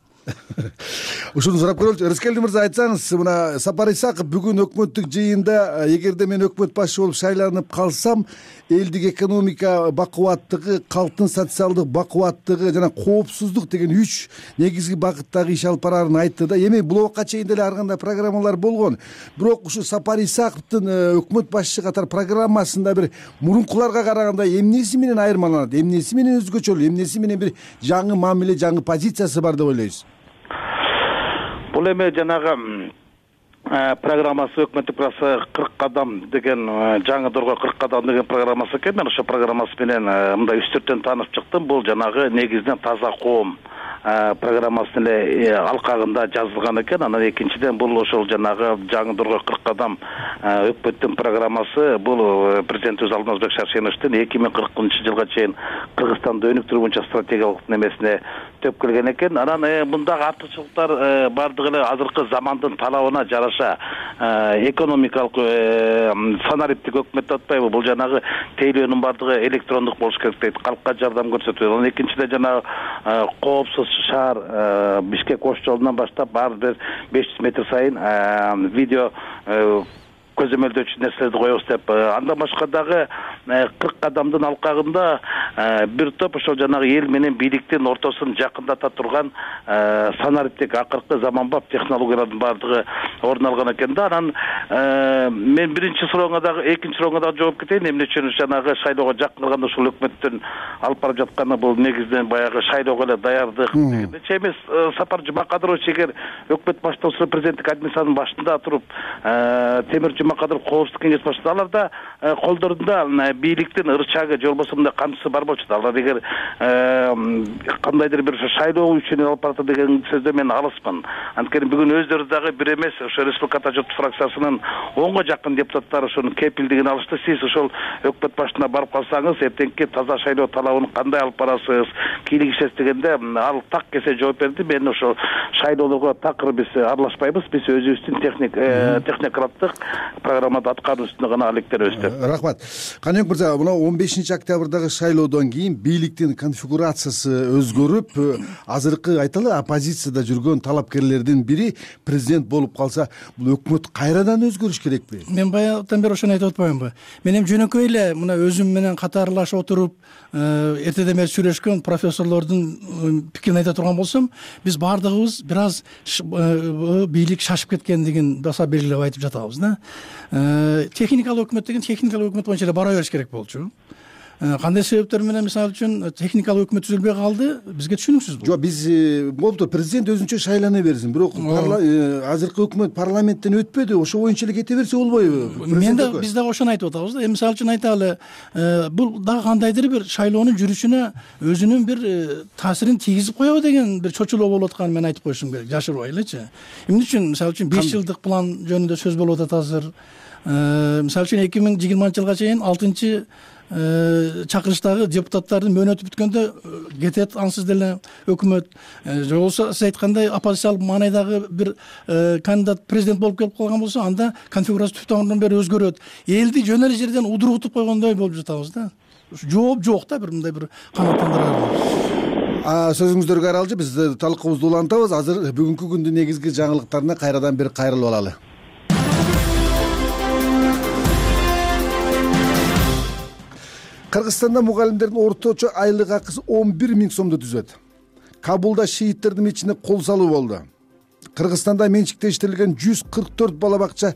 Ушуну сурап көрөлүчү. Рыскелди мырза, айтсаңыз, мына Сапар Исаков бүгүн өкмөттүк жыйында эгерде мен өкмөт башчы болуп шайланып калсам, элдик экономика бакубаттыгы, калктын социалдык бакубаттыгы жана коопсуздук деген үч негизги багыттагы иш алып бараарын айтты да. Эми бул убакка чейин деле ар кандай программалар болгон. Бирок ушу Сапар Исаковдун өкмөт башчы катары программасында бир мурункуларга караганда эмнеси менен айырмаланат, эмнеси менен өзгөчөлүү, эмнеси менен бир жаңы мамиле, жаңы позициясы бар деп ойлойсуз? Бул эми жанагы программасы өкмөттүк программасы кырк кадам деген жаңы дорго кырк кадам деген программасы экен. Мен ошол программасы менен мындай үстүртөн таанып чыктым. Бул жанагы негизинен таза коом программасынын эле алкагында жазылган экен. Анан экинчиден бул ошол жанагы жаңы дорго кырк кадам өкмөттүн программасы бул президент өз алдына Озбек Шаршеновичтин эки миң кыркынчы жылга чейин Кыргызстанды өнүктүрүү боюнча стратегиялык немесине төп келген экен. Анан мындагы артыкчылыктар бардыгы эле азыркы замандын талабына жараша экономикалык санариптик өкмөт деп атпайбы? Бул жанагы тейлөөнүн бардыгы электрондук болуш керек дейт. Калкка жардам көрсөтүү. Анан экинчиден жанагы коопсуз шаар Бишкек ош жолунан баштап ар бир беш жүз метр сайын видео көзөмөлдөөчү нерселерди коебуз деп. Андан башка дагы кырк кадамдын алкагында бир топ ошол жанагы эл менен бийликтин ортосун жакындата турган санариптик акыркы заманбап технологиялардын баардыгы орун алган экен да. Анан мен биринчи сурооңа дагы, экинчи сурооңа дагы жооп кетейин. Эмне үчүн жанагы шайлоого жакын калганда ушул өкмөттүн алып барып жатканы бул негизинен баягы шайлоого эле даярдык дегендечи эмес. Сапар Жумакадырович эгер өкмөт баштоосу президенттик администрациянын башында туруп Темир Жумакадыров коопсуздук кеңеш башчысы, аларда колдорунда бийликтин ырчагы же болбосо мындай камчысы бар болчу. Алар эгер кандайдыр бир шайлоо үчүн алып барат деген сөздө мен алыспын. Анткени бүгүн өздөрү дагы бир эмес, ошо Республика журт фракциясынын онго жакын депутаттары ошонун кепилдигин алышты. Сиз ошол өкмөт башына барып калсаңыз, эртеңки таза шайлоо талабын кандай алып барасыз, кийлигишесиз дегенде ал так кесе жооп берди. Мен ошол шайлоолорго такыр биз аралашпайбыз. Биз өзүбүздүн техник технokraттык программада аткаруу үстүндө гана алектенебиз деп. Рахмат. Каныбек мырза, мына он бешинчи октябрдагы шайлоодон кийин бийликтин конфигурациясы өзгөрүп, азыркы айталы оппозицияда жүргөн талапкерлердин бири президент болуп калса, бул өкмөт кайрадан өзгөрүш керекпи? Мен баягыдан бери ошону айтып атпаймынбы? Мен эми жөнөкөй эле мына өзүм менен катарлашып отуруп, эртеден бери сүйлөшкөн профессорлордун пикирин айта турган болсом, биз баардыгыбыз бир аз бийлик шашып кеткендигин баса белгилеп айтып жатабыз да. Техникалык өкмөт деген техникалык өкмөт боюнча эле бара бериш керек болчу. кандай себептер менен мисалы үчүн техникалык өкмөт түзүлбөй калды, бизге түшүнүксүз. Жок, биз болуптур, президент өзүнчө шайлана берсин, бирок азыркы өкмөт парламенттен өтпөдү, ошо боюнча эле кете берсе болбойбу? Мен да биз дагы ошону айтып атабыз да. Эми мисалы үчүн айталы, бул дагы кандайдыр бир шайлоонун жүрүшүнө өзүнүн бир таасирин тийгизип коебу деген бир чочулоо болуп атканын мен айтып коюшум керек, жашырбай элечи. Эмне үчүн мисалы үчүн беш жылдык план жөнүндө сөз болуп атат азыр. Мисалы үчүн эки миң жыйырманчы жылга чейин алтынчы чакырыштагы депутаттардын мөөнөтү бүткөндө кетет ансыз деле өкмөт. Же болбосо сиз айткандай оппозициялык маанайдагы бир кандидат президент болуп келип калган болсо, анда конфигурация түптөн бери өзгөрөт. Элди жөн эле жерден удургутуп койгондой болуп жатабыз да. Жооп жок да, бир мындай бир канааттандырар. Сөзүңүздөргө аралжы биз талкуубузду улантабыз. Азыр бүгүнкү күндүн негизги жаңылыктарына кайрадан бир кайрылып алалы. Кыргызстанда мугалимдердин орточо айлык акысы он бир миң сомду түзөт. Кабулда шииттердин мечитине кол салуу болду. Кыргызстанда менчиктештирилген жүз кырк төрт бала бакча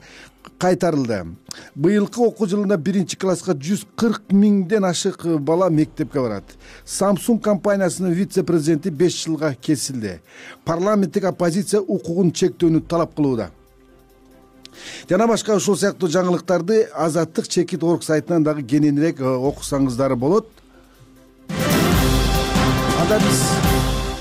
кайтарылды. Быйылкы окуу жылында биринчи класска жүз кырк миңден ашык бала мектепке барат. Samsung компаниясынын вице-президенти беш жылга кесилди. Парламенттик оппозиция укугун чектөөнү талап кылууда. Жана башка ушул сыяктуу жаңылыктарды Азаттык чекит орг сайтынан дагы кененирээк окусаңыздар болот. Анда биз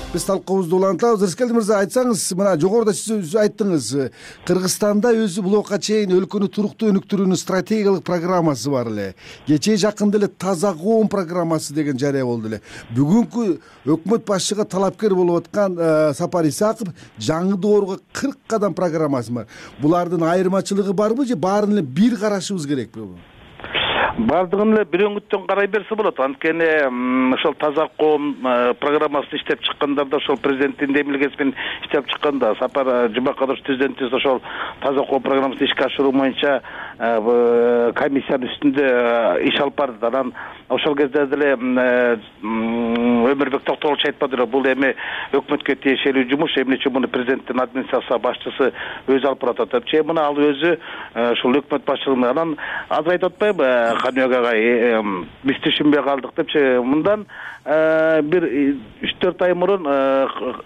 биз талкуубузду улантабыз. Рыскелди мырза, айтсаңыз, мына жогоруда сиз айттыңыз, Кыргызстанда өзү блокка чейин өлкөнү туруктуу өнүктүрүүнүн стратегиялык программасы бар эле. Кечээ жакында эле таза коом программасы деген жарыя болду эле. Бүгүнкү өкмөт башчыга талапкер болуп аткан Сапар Исаков жаңы доорго кырк кадам программасы бар. Булардын айырмачылыгы барбы же баарын эле бир карашыбыз керекпи? Бардыгын эле бир өңүттөн карай берсе болот. Анткени ошол таза коом программасын иштеп чыккандарда, ошол президенттин демилгеси менен иштеп чыкканда, Сапар Жумакадырович президентибиз ошол таза коом программасын ишке ашыруу боюнча комиссиянын үстүндө иш алып барды. Анан ошол кезде деле Өмүрбек Токтогулович айтпадыр, бул эми өкмөткө тиешелүү жумуш, эмне үчүн муну президенттин администрация башчысы өзү алып барат деп. Че муну ал өзү ошол өкмөт башчылыгына. Анан азыр айтып атпайбы, Каныбек агай, биз түшүнбөй калдык депчи. Мындан бир үч төрт ай мурун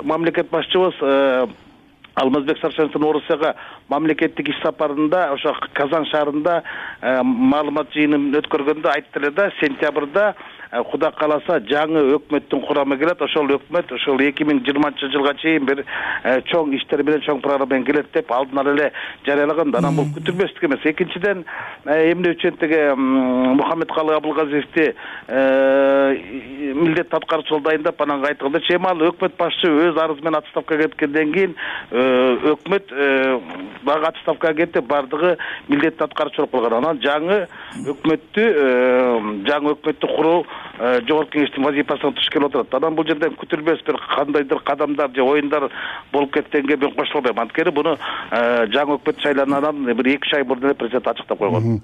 мамлекет башчыбыз Алмазбек Сарсеновдун Орусияга мамлекеттик иш сапарында ошо Казан шаарында маалымат жыйынын өткөргөндө айтты эле да, сентябрда Куда кааласа жаңы өкмөттүн курамы келет. Ошол өкмөт ошол эки миң жыйырманчы жылга чейин бир чоң иштер менен, чоң программа менен келет деп алдын ала эле жарыялаган. Анан бул күтүлбөстүк эмес. Экинчиден, эмне үчүн теге Мухаммедкалый Абылгазиевди милдет аткаруучу дайындап анан кайтканда, чейин ал өкмөт башчы өз арызы менен отставкага кеткенден кийин өкмөт дагы отставкага кетип, бардыгы милдет аткаруучу болгон. Анан жаңы өкмөттү жаңы өкмөттү куруу жогорку кеңештин вазифасына туш келип отурат. Анан бул жерден күтүлбөс бир кандайдыр кадамдар же оюндар болуп кеткенге мен кошулбайм. Анткени буну жаңы өкмөт шайлангандан бир эки үч ай мурун эле президент ачыктап койгон.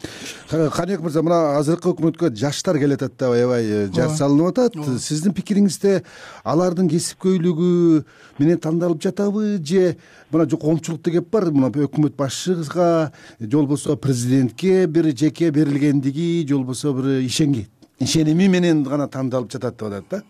Каныбек мырза, мына азыркы өкмөткө жаштар келет атат да, аябай жаш салынып атат. Сиздин пикириңизде алардын кесипкөйлүгү менен тандалып жатабы же мына коомчулук деп бар, мына өкмөт башчыга же болбосо президентке бир жеке берилгендиги же болбосо бир ишенги ишеними менен гана тандалып жатат деп атат да.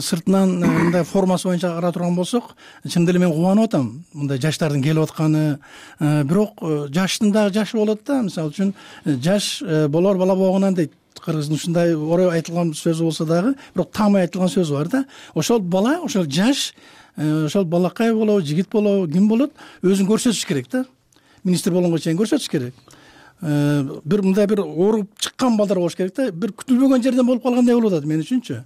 Сыртынан мындай формасы боюнча карап турган болсок, чын деле мен кубанып атам мындай жаштардын келип атканы. Бирок жаштын дагы жашы болот да. Мисалы үчүн жаш болор бала боогунан дейт. Кыргыздын ушундай орой айтылган сөзү болсо дагы, бирок таамай айтылган сөзү бар да. Ошол бала, ошол жаш, ошол балакай болобу, жигит болобу, ким болот, өзүн көрсөтүш керек да. Министр болгонго чейин көрсөтүш керек. Бир мындай бир ооруп чыккан балдар болуш керек да. Бир күтүлбөгөн жерден болуп калгандай болуп атат мен үчүнчү.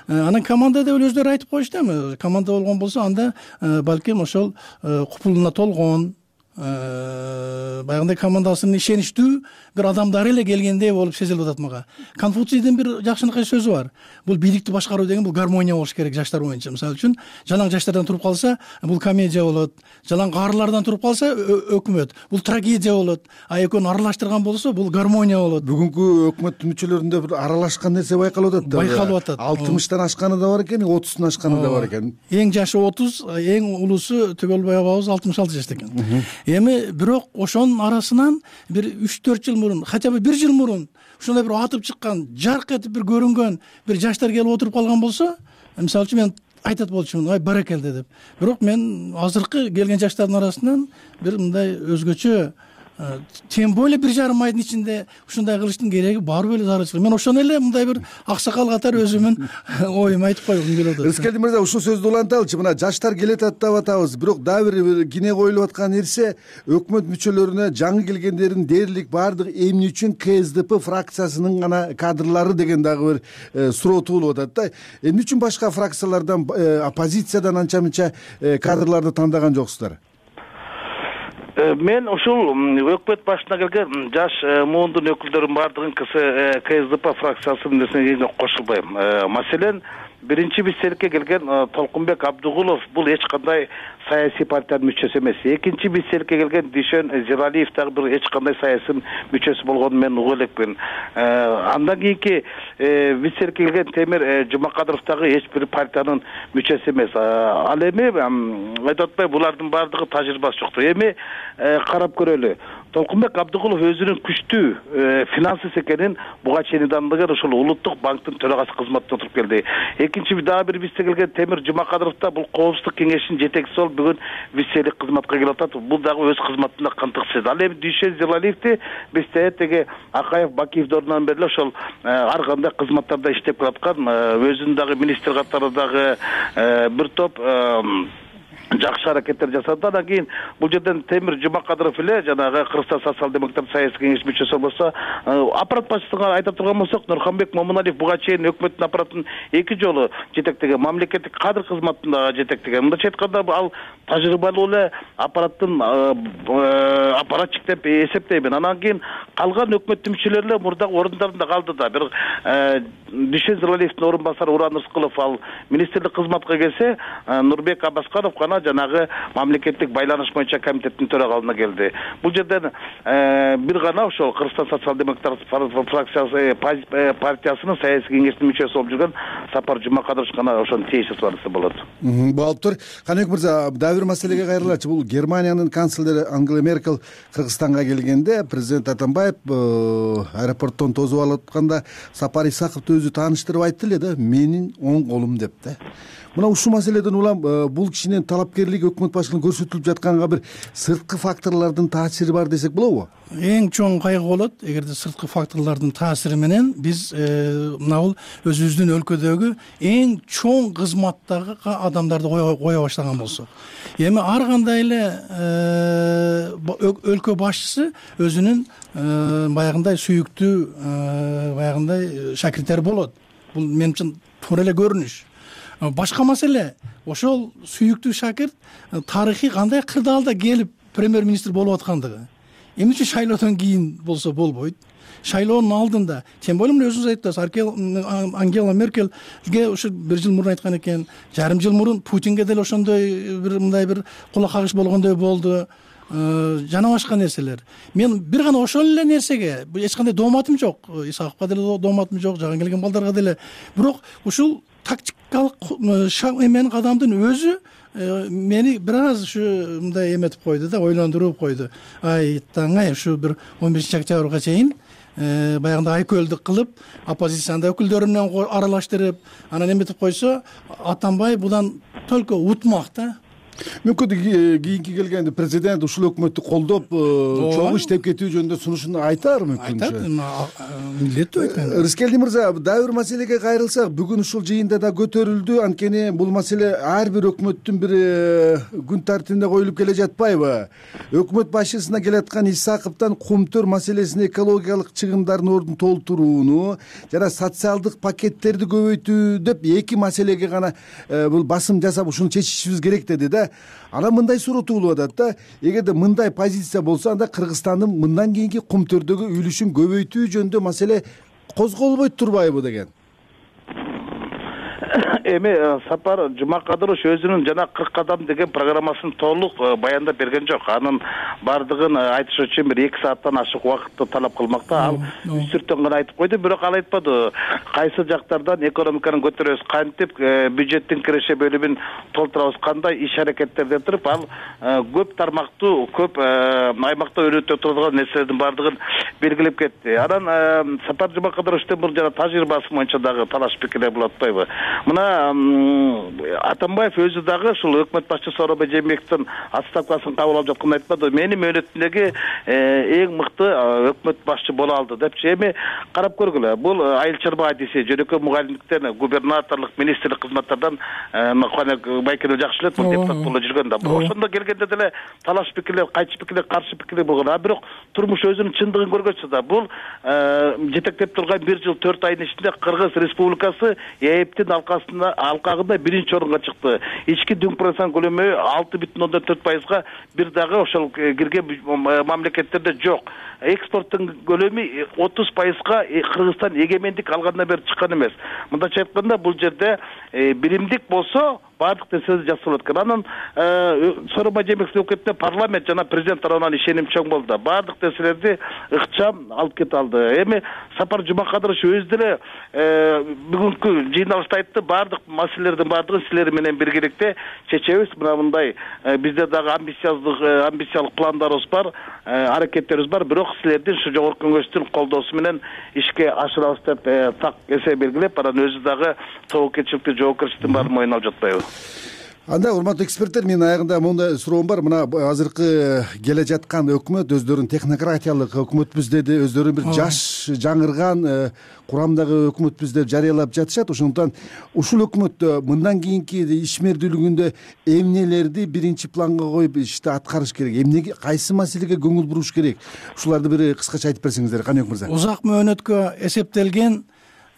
Анан команда деп өздөрү айтып коюшту эми. Команда болгон болсо анда балким ошол купулуна толгон, баягындай командасынын ишеничтүү бир адамдары эле келгендей болуп сезилип атат мага. Конфуцийдин бир жакшынакай сөзү бар. Бул бийликти башкаруу деген бул гармония болуш керек жаштар боюнча. Мисалы үчүн, жалаң жаштардан туруп калса, бул комедия болот. Жалаң каарылардан туруп калса, өкмөт. Бул трагедия болот. А экөөнү аралаштырган болсо, бул гармония болот. Бүгүнкү өкмөт мүчөлөрүндө бир аралашкан нерсе байкалып атат да. Байкалып атат. алтымыштан ашканы да бар экен, отуздун ашканы да бар экен. Эң жашы отуз, эң улуусу түгөл баягыбыз алтымыш алты жашта экен. эми бирок ошонун арасынан бир үч төрт жыл мурун, хотя бы бир жыл мурун ушундай бир атып чыккан, жарк этип бир көрүнгөн бир жаштар келип отуруп калган болсо, мисалы үчүн мен айтат болчумун, ай баракелде деп. Бирок мен азыркы келген жаштардын арасынан бир мындай өзгөчө, тем более бир жарым айдын ичинде ушундай кылыштын кереги барбы эле зарылчылык. Мен ошону эле мындай бир аксакал катары өзүмүн оюмду айтып койгум келип атат. Рыскелди мырза, ушул сөздү уланталычы. Мына жаштар келет деп атабыз, бирок дагы бир кине коюлуп аткан нерсе, өкмөт мүчөлөрүнө жаңы келгендердин дээрлик баардыгы эмне үчүн КСДП фракциясынын гана кадрлары деген дагы бир суроо туулуп атат да. Эмне үчүн башка фракциялардан, оппозициядан анча мынча кадрларды тандаган жоксуздар? Мен ушул өкмөт башына келген жаш муундун өкүлдөрүнүн баардыгын КСДП фракциясынын нерсеге кошулбайм. Маселен, биринчи бисселикке келген Толкунбек Абдыгулов бул эч кандай саясий партиянын мүчөсү эмес. Экинчи бисселикке келген Дүйшөн Зиралиев дагы бир эч кандай саясий мүчөсү болгонун мен угуп элекмин. Андан кийинки бисселикке келген Темир Жумакадыров дагы эч бир партиянын мүчөсү эмес. Ал эми айтып атпайбы, булардын баардыгы тажрыйбасы жоктур. Эми карап көрөлү. Толкунбек Абдыгулов өзүнүн күчтүү финансист экенин буга чейин дандыган ушул Улуттук банктын төрагасы кызматына отуруп келди. Экинчи дагы бир биссе келген Темир Жумакадыров да бул коопсуздук кеңешинин жетекчиси болуп бүгүн бисселик кызматка келип атат. Бул дагы өз кызматында кантыксыз. Ал эми Дүйшөн Зиралиевди бизде теге Акаев Бакиев дорунан бери ошол ар кандай кызматтарда иштеп келаткан, өзүнүн дагы министр катарындагы бир топ жакшы аракеттер жасады. Андан кийин бул жерден Темир Жумакадыров эле жанагы Кыргызстан социал-демократ саясий кеңеш мүчөсү болсо, аппарат башчысына айта турган болсок, Нурханбек Момуналиев буга чейин өкмөттүн аппаратын эки жолу жетектеген, мамлекеттик кадр кызматында жетектеген. Мындайча айтканда ал тажрыйбалуу эле аппараттын аппаратчик деп эсептеймин. Андан кийин калган өкмөттүн мүчөлөрү эле мурдагы орундарында калды да. Бир Дүйшөн Зиралиевдин орун басары Уран Рыскылов ал министрлик кызматка келсе, Нурбек Абасканов гана жанагы мамлекеттик байланыш боюнча комитеттин төрагалына келди. Бул жерден бир гана ошол Кыргызстан социал-демократ фракциясы партиясынын саясий кеңешинин мүчөсү болуп жүргөн Сапар Жумакадыров гана ошонун тийиштүү барысы болот. Болуп тур. Каныбек мырза, дагы бир маселеге кайрылачы. Бул Германиянын канцлери Ангела Меркель Кыргызстанга келгенде президент Атамбаев аэропорттон тосуп алып атканда Сапар Исаковду өзү тааныштырып айтты эле да, менин оң колум деп да. Мына ушул маселеден улам бул кишинин талапкерлиги өкмөт башчылыгына көрсөтүлүп жатканга бир сырткы факторлордун таасири бар десек болобу? Эң чоң кайгы болот эгерде сырткы факторлордун таасири менен биз мына бул өзүбүздүн өлкөдөгү эң чоң кызматтагы адамдарды кое баштаган болсок. Эми ар кандай эле өлкө башчысы өзүнүн баягындай сүйүктүү баягындай шакирттери болот. Бул мен үчүн туура эле көрүнүш. Башка маселе, ошол сүйүктүү шакирт тарыхый кандай кырдаалда келип премьер-министр болуп аткандыгы. Эмне үчүн шайлоодон кийин болсо болбойт? Шайлоонун алдында, тем более мына өзүңүз айттыңыз, Ангела Меркельге ушу бир жыл мурун айткан экен, жарым жыл мурун Путинге деле ошондой бир мындай бир кулак кагыш болгондой болду. Жана башка нерселер. Мен бир гана ошол эле нерсеге эч кандай дооматым жок. Исаковго деле дооматым жок, жаган келген балдарга деле. Бирок ушул тактикалык эмен кадамдын өзү мени бир аз ушу мындай эметип койду да, ойлондуруп койду. Ай таңай ушу бир он бешинчи октябрга чейин баягындай айкөлдүк кылып, оппозициянын өкүлдөрү менен аралаштырып, анан эметип койсо, Атамбаев будан только утмак да. Мүмкүн кийинки келгенде президент ушул өкмөттү колдоп, чоң иштеп кетүү жөнүндө сунушун айтар мүмкүн. Айтат, милдеттүү айткан. Рыскелди мырза, дагы бир маселеге кайрылсак, бүгүн ушул жыйында да көтөрүлдү. Анткени бул маселе ар бир өкмөттүн бир күн тартибине коюлуп келе жатпайбы? Өкмөт башчысына келаткан Исаковдон кумтөр маселесин, экологиялык чыгымдардын ордун толтурууну жана социалдык пакеттерди көбөйтүү деп эки маселеге гана бул басым жасап ушуну чечишибиз керек деди да. Анан мындай суроо туулуп атат да, эгерде мындай позиция болсо, анда Кыргызстандын мындан кийинки кумтөрдөгү үлүшүн көбөйтүү жөнүндө маселе козголбойт турбайбы деген. эми Сапар Жумакадырович өзүнүн жана кырк кадам деген программасын толук баяндап берген жок. Анын бардыгын айтыш үчүн бир эки сааттан ашык убакытты талап кылмакта. Ал үч төрттөн гана айтып койду, бирок ал айтпады кайсы жактардан экономиканы көтөрөбүз, кантип бюджеттин киреше бөлүмүн толтурабыз, кандай иш аракеттерден туруп ал көп тармактуу, көп аймакта өнүктө турган нерселердин бардыгын белгилеп кетти. Анан Сапар Жумакадыровичтин бул жана тажрыйбасы боюнча дагы талаш пикирлер болуп атпайбы? Мына Атамбаев өзү дагы ушул өкмөт башчысы Сооронбай Жээнбековдун отставкасын кабыл алып жатканда айтпады, менин мөөнөтүмдөгү эң мыкты өкмөт башчы боло алды депчи. Эми карап көргүлө, бул айыл чарба адиси жөнөкөй мугалимдиктен, губернаторлук, министрлик кызматтардан байкени жакшы элет, бул депутат болуп жүргөн да. Бирок ошондо келгенде деле талаш пикирлер, кайчы пикирлер, каршы пикирлер болгон. А бирок турмуш өзүнүн чындыгын көргөнчө да бул жетектеп турган бир жыл төрт айдын ичинде Кыргыз Республикасы ээптин алкасында алкагында биринчи орунга чыкты. Ички дүң процент көлөмү алты бүтүн ондон төрт пайызга бир дагы ошол кирген мамлекеттерде жок. Экспорттун көлөмү отуз пайызга Кыргызстан эгемендик алгандан бери чыккан эмес. Мындайча айтканда бул жерде биримдик болсо бардык нерселер жасалып аткан. Анан Сооронбай Жээнбековдун өкмөтүнө парламент жана президент тарабынан ишеним чоң болду. Бардык нерселерди ыкчам алып кете алды. Эми Сапар Жумакадырович өзү деле бүгүнкү жыйналышта айтты, бардык маселелердин бардыгын силер менен биргеликте чечебиз. Мына мындай бизде дагы амбициялык амбициялык пландарыбыз бар, аракеттерибиз бар, бирок силердин ушу жогорку кеңештин колдоосу менен ишке ашырабыз деп так эсе белгилеп, анан өзү дагы тобокелчиликти, жоопкерчиликтин баарын мойнуна алып жатпайбы? Анда урматтуу эксперттер, менин аягында моундай суроом бар. Мына азыркы келе жаткан өкмөт өздөрүн технократиялык өкмөтпүз деди, өздөрүн бир жаш жаңырган курамдагы өкмөтпүз деп жарыялап жатышат. Ошондуктан ушул өкмөт мындан кийинки ишмердүүлүгүндө эмнелерди биринчи планга коюп ишти аткарыш керек? Эмнеге, кайсы маселеге көңүл буруш керек? Ушуларды бир кыскача айтып берсеңиздер, Каныбек мырза. Узак мөөнөткө эсептелген,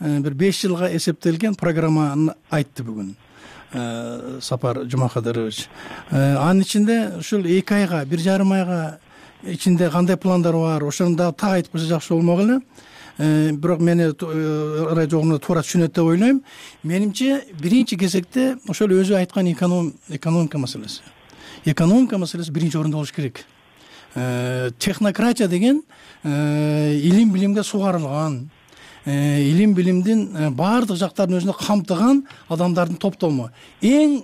бир беш жылга эсептелген программаны айтты бүгүн Сапар Жумакадырович. Анын ичинде ушул эки айга, бир жарым айга ичинде кандай пландар бар, ошону да так айтып койсо жакшы болмок эле. Бирок мени радиогумда туура түшүнөт деп ойлойм. Менимче биринчи кезекте ошол өзү айткан экономика маселеси. Экономика маселеси биринчи орунда болуш керек. Технократия деген илим билимге сугарылган, илим билимдин баардык жактарын өзүнө камтыган адамдардын топтому. Эң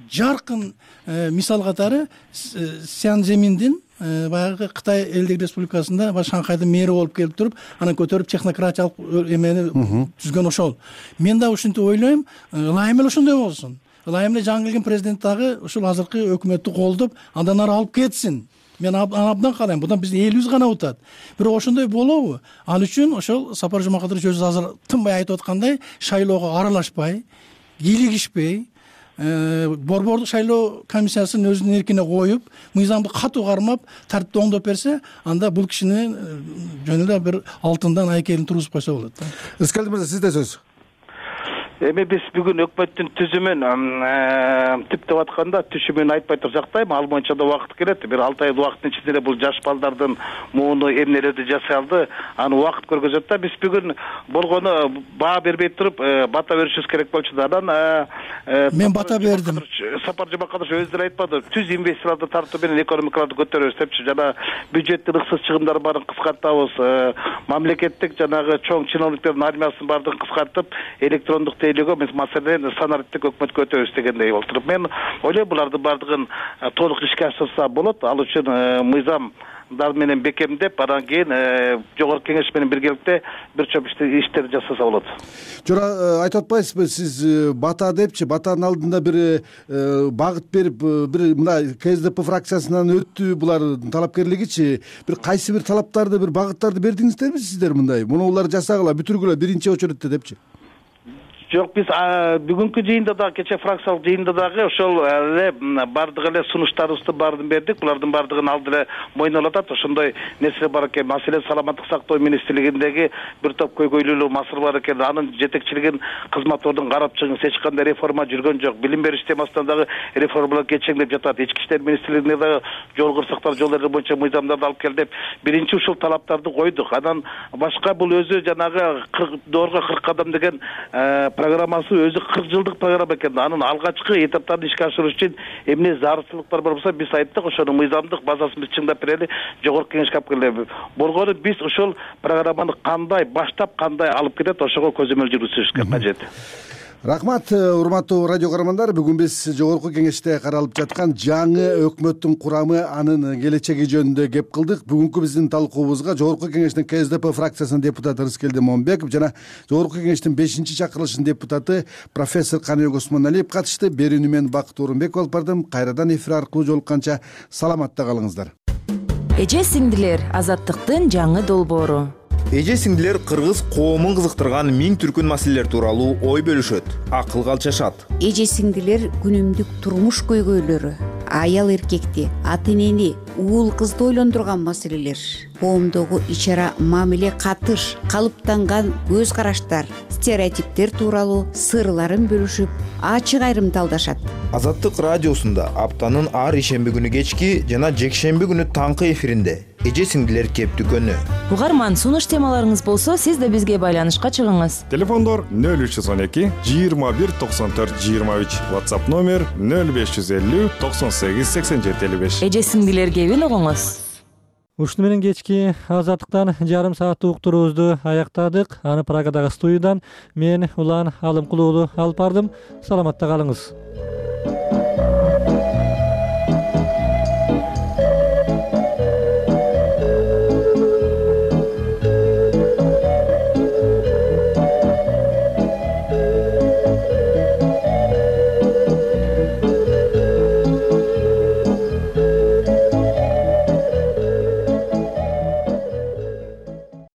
жаркын мисал катары Сян Земиндин баягы Кытай Элдик Республикасында Шанхайдын мэри болуп келип туруп, анан көтөрүп технократиялык эмени түзгөн ошол. Мен да ушинтип ойлойм, ылайым эле ошондой болсун. Ылайым эле жаңы келген президент дагы ушул азыркы өкмөттү колдоп, андан ары алып кетсин. Мен абдан каалайм, будан биздин элибиз гана утат. Бирок ошондой болобу? Ал үчүн ошол Сапар Жумакадырович өзү азыр тынбай айтып аткандай, шайлоого аралашпай, кийлигишпей, борбордук шайлоо комиссиясын өзүнүн эркине коюп, мыйзамды катуу кармап, тартипти оңдоп берсе, анда бул кишини жөн эле бир алтындан айкелин тургузуп койсо болот да. Рыскалдык мырза, сизде сөз. Эми биз бүгүн өкмөттүн түзүмүн типтеп атканда түшүмүн айтпай туруп жактайм. Ал боюнча да убакыт келет. Бир алты ай убакыттын ичинде бул жаш балдардын мууну эмнелерди жасай алды, аны убакыт көргөзөт да. Биз бүгүн болгону баа бербей туруп бата беришибиз керек болчу да. Анан мен бата бердим. Сапар Жумакадырович өзү деле айтпады, түз инвесторлорду тартуу менен экономикаларды көтөрөбүз депчи. Жана бюджеттин ыксыз чыгымдары баарын кыскартабыз, мамлекеттик жанагы чоң чиновниктердин армиясын баардыгын кыскартып, электрондук тейлөөгө биз маселени санариттик өкмөткө өтөбүз дегендей болтуруп, мен ойлойм булардын баардыгын толук ишке ашырса болот. Ал үчүн мыйзамдар менен бекемдеп, анан кийин жогорку кеңеш менен биргеликте бир топ иштерди жасаса болот. Жора, айтып атпайсызбы, сиз бата депчи, батанын алдында бир багыт берип, бир мына КСДП фракциясынан өттү булар талапкерлигичи, бир кайсы бир талаптарды, бир багыттарды бердиңиздерби сиздер мындай? Муну жасагыла, бүтүргүлө биринчи очередте депчи. Жок, биз бүгүнкү жыйында да, кече фракциялык жыйында дагы ошол эле бардык эле сунуштарыбызды баарын бердик. Булардын баардыгын алды эле мойнуна алат. Ошондой нерсе бар экен. Маселен, саламаттык сактоо министрлигиндеги бир топ көйгөйлүү маселе бар экен. Анын жетекчилигин кызмат ордун карап чыгыңыз. Эч кандай реформа жүргөн жок. Билим бериш темасында дагы реформалар кечеңдеп жатат. Ички иштер министрлигине дагы жол кырсыктар, жол эрежелери боюнча мыйзамдарды алып кел деп биринчи ушул талаптарды койдук. Анан башка бул өзү жанагы доорго кырк кадам деген программасы өзү кырк жылдык программа экен. Анын алгачкы этаптарын ишке ашыруу үчүн эмне зарылчылыктар бар болсо биз айттык, ошонун мыйзамдык базасын биз чыңдап берели жогорку кеңешке алып келели. Болгону биз ошол программаны кандай баштап, кандай алып кетет, ошого көзөмөл жүргүзүшүбүз кажет. Рахмат, урматтуу радио көрөрмандар. Бүгүн биз жогорку кеңеште каралып жаткан жаңы өкмөттүн курамы, анын келечеги жөнүндө кеп кылдык. Бүгүнкү биздин талкуубузга жогорку кеңештин Ка Эс Д П фракциясынын депутаты Рыскелди Момбеков жана жогорку кеңештин бешинчи чакырылышынын депутаты профессор Каныбек Осмоналиев катышты. Берүүнү мен Бакыт Орунбеков алып бардым. Кайрадан эфир аркылуу жолукканча саламатта калыңыздар. Эже сиңдилер, азаттыктын жаңы долбоору. Эже сиңдилер кыргыз коомун кызыктырган миң түркүн маселелер тууралуу ой бөлүшөт, акыл калчашат. Эже сиңдилер күнүмдүк турмуш көйгөйлөрү, аял эркекти, ата энени, уул кызды ойлондурган маселелер, коомдогу ич ара мамиле катыш, калыптанган көз караштар, стереотиптер тууралуу сырларын бөлүшүп, ачык айрымдалдашат. Азаттык радиосунда аптанын ар ишемби күнү кечки жана жекшемби күнү таңкы эфиринде эже сиңдилер кептүкөнү. Угарман, сунуш темаларыңыз болсо, сиз да бизге байланышка чыгыңыз. Телефондор нөл үч жүз он эки жыйырма бир токсон төрт жыйырма үч, WhatsApp номер нөл беш жүз элүү токсон сегиз сексен жети элүү беш. Эже сиңдилер кебин угуңуз. Ушуну менен кечки азаттыктан жарым сааттык уктуруубузду аяктадык. Аны Прагадагы студиядан мен Улан Алымкулуулу алып бардым. Саламатта калыңыз.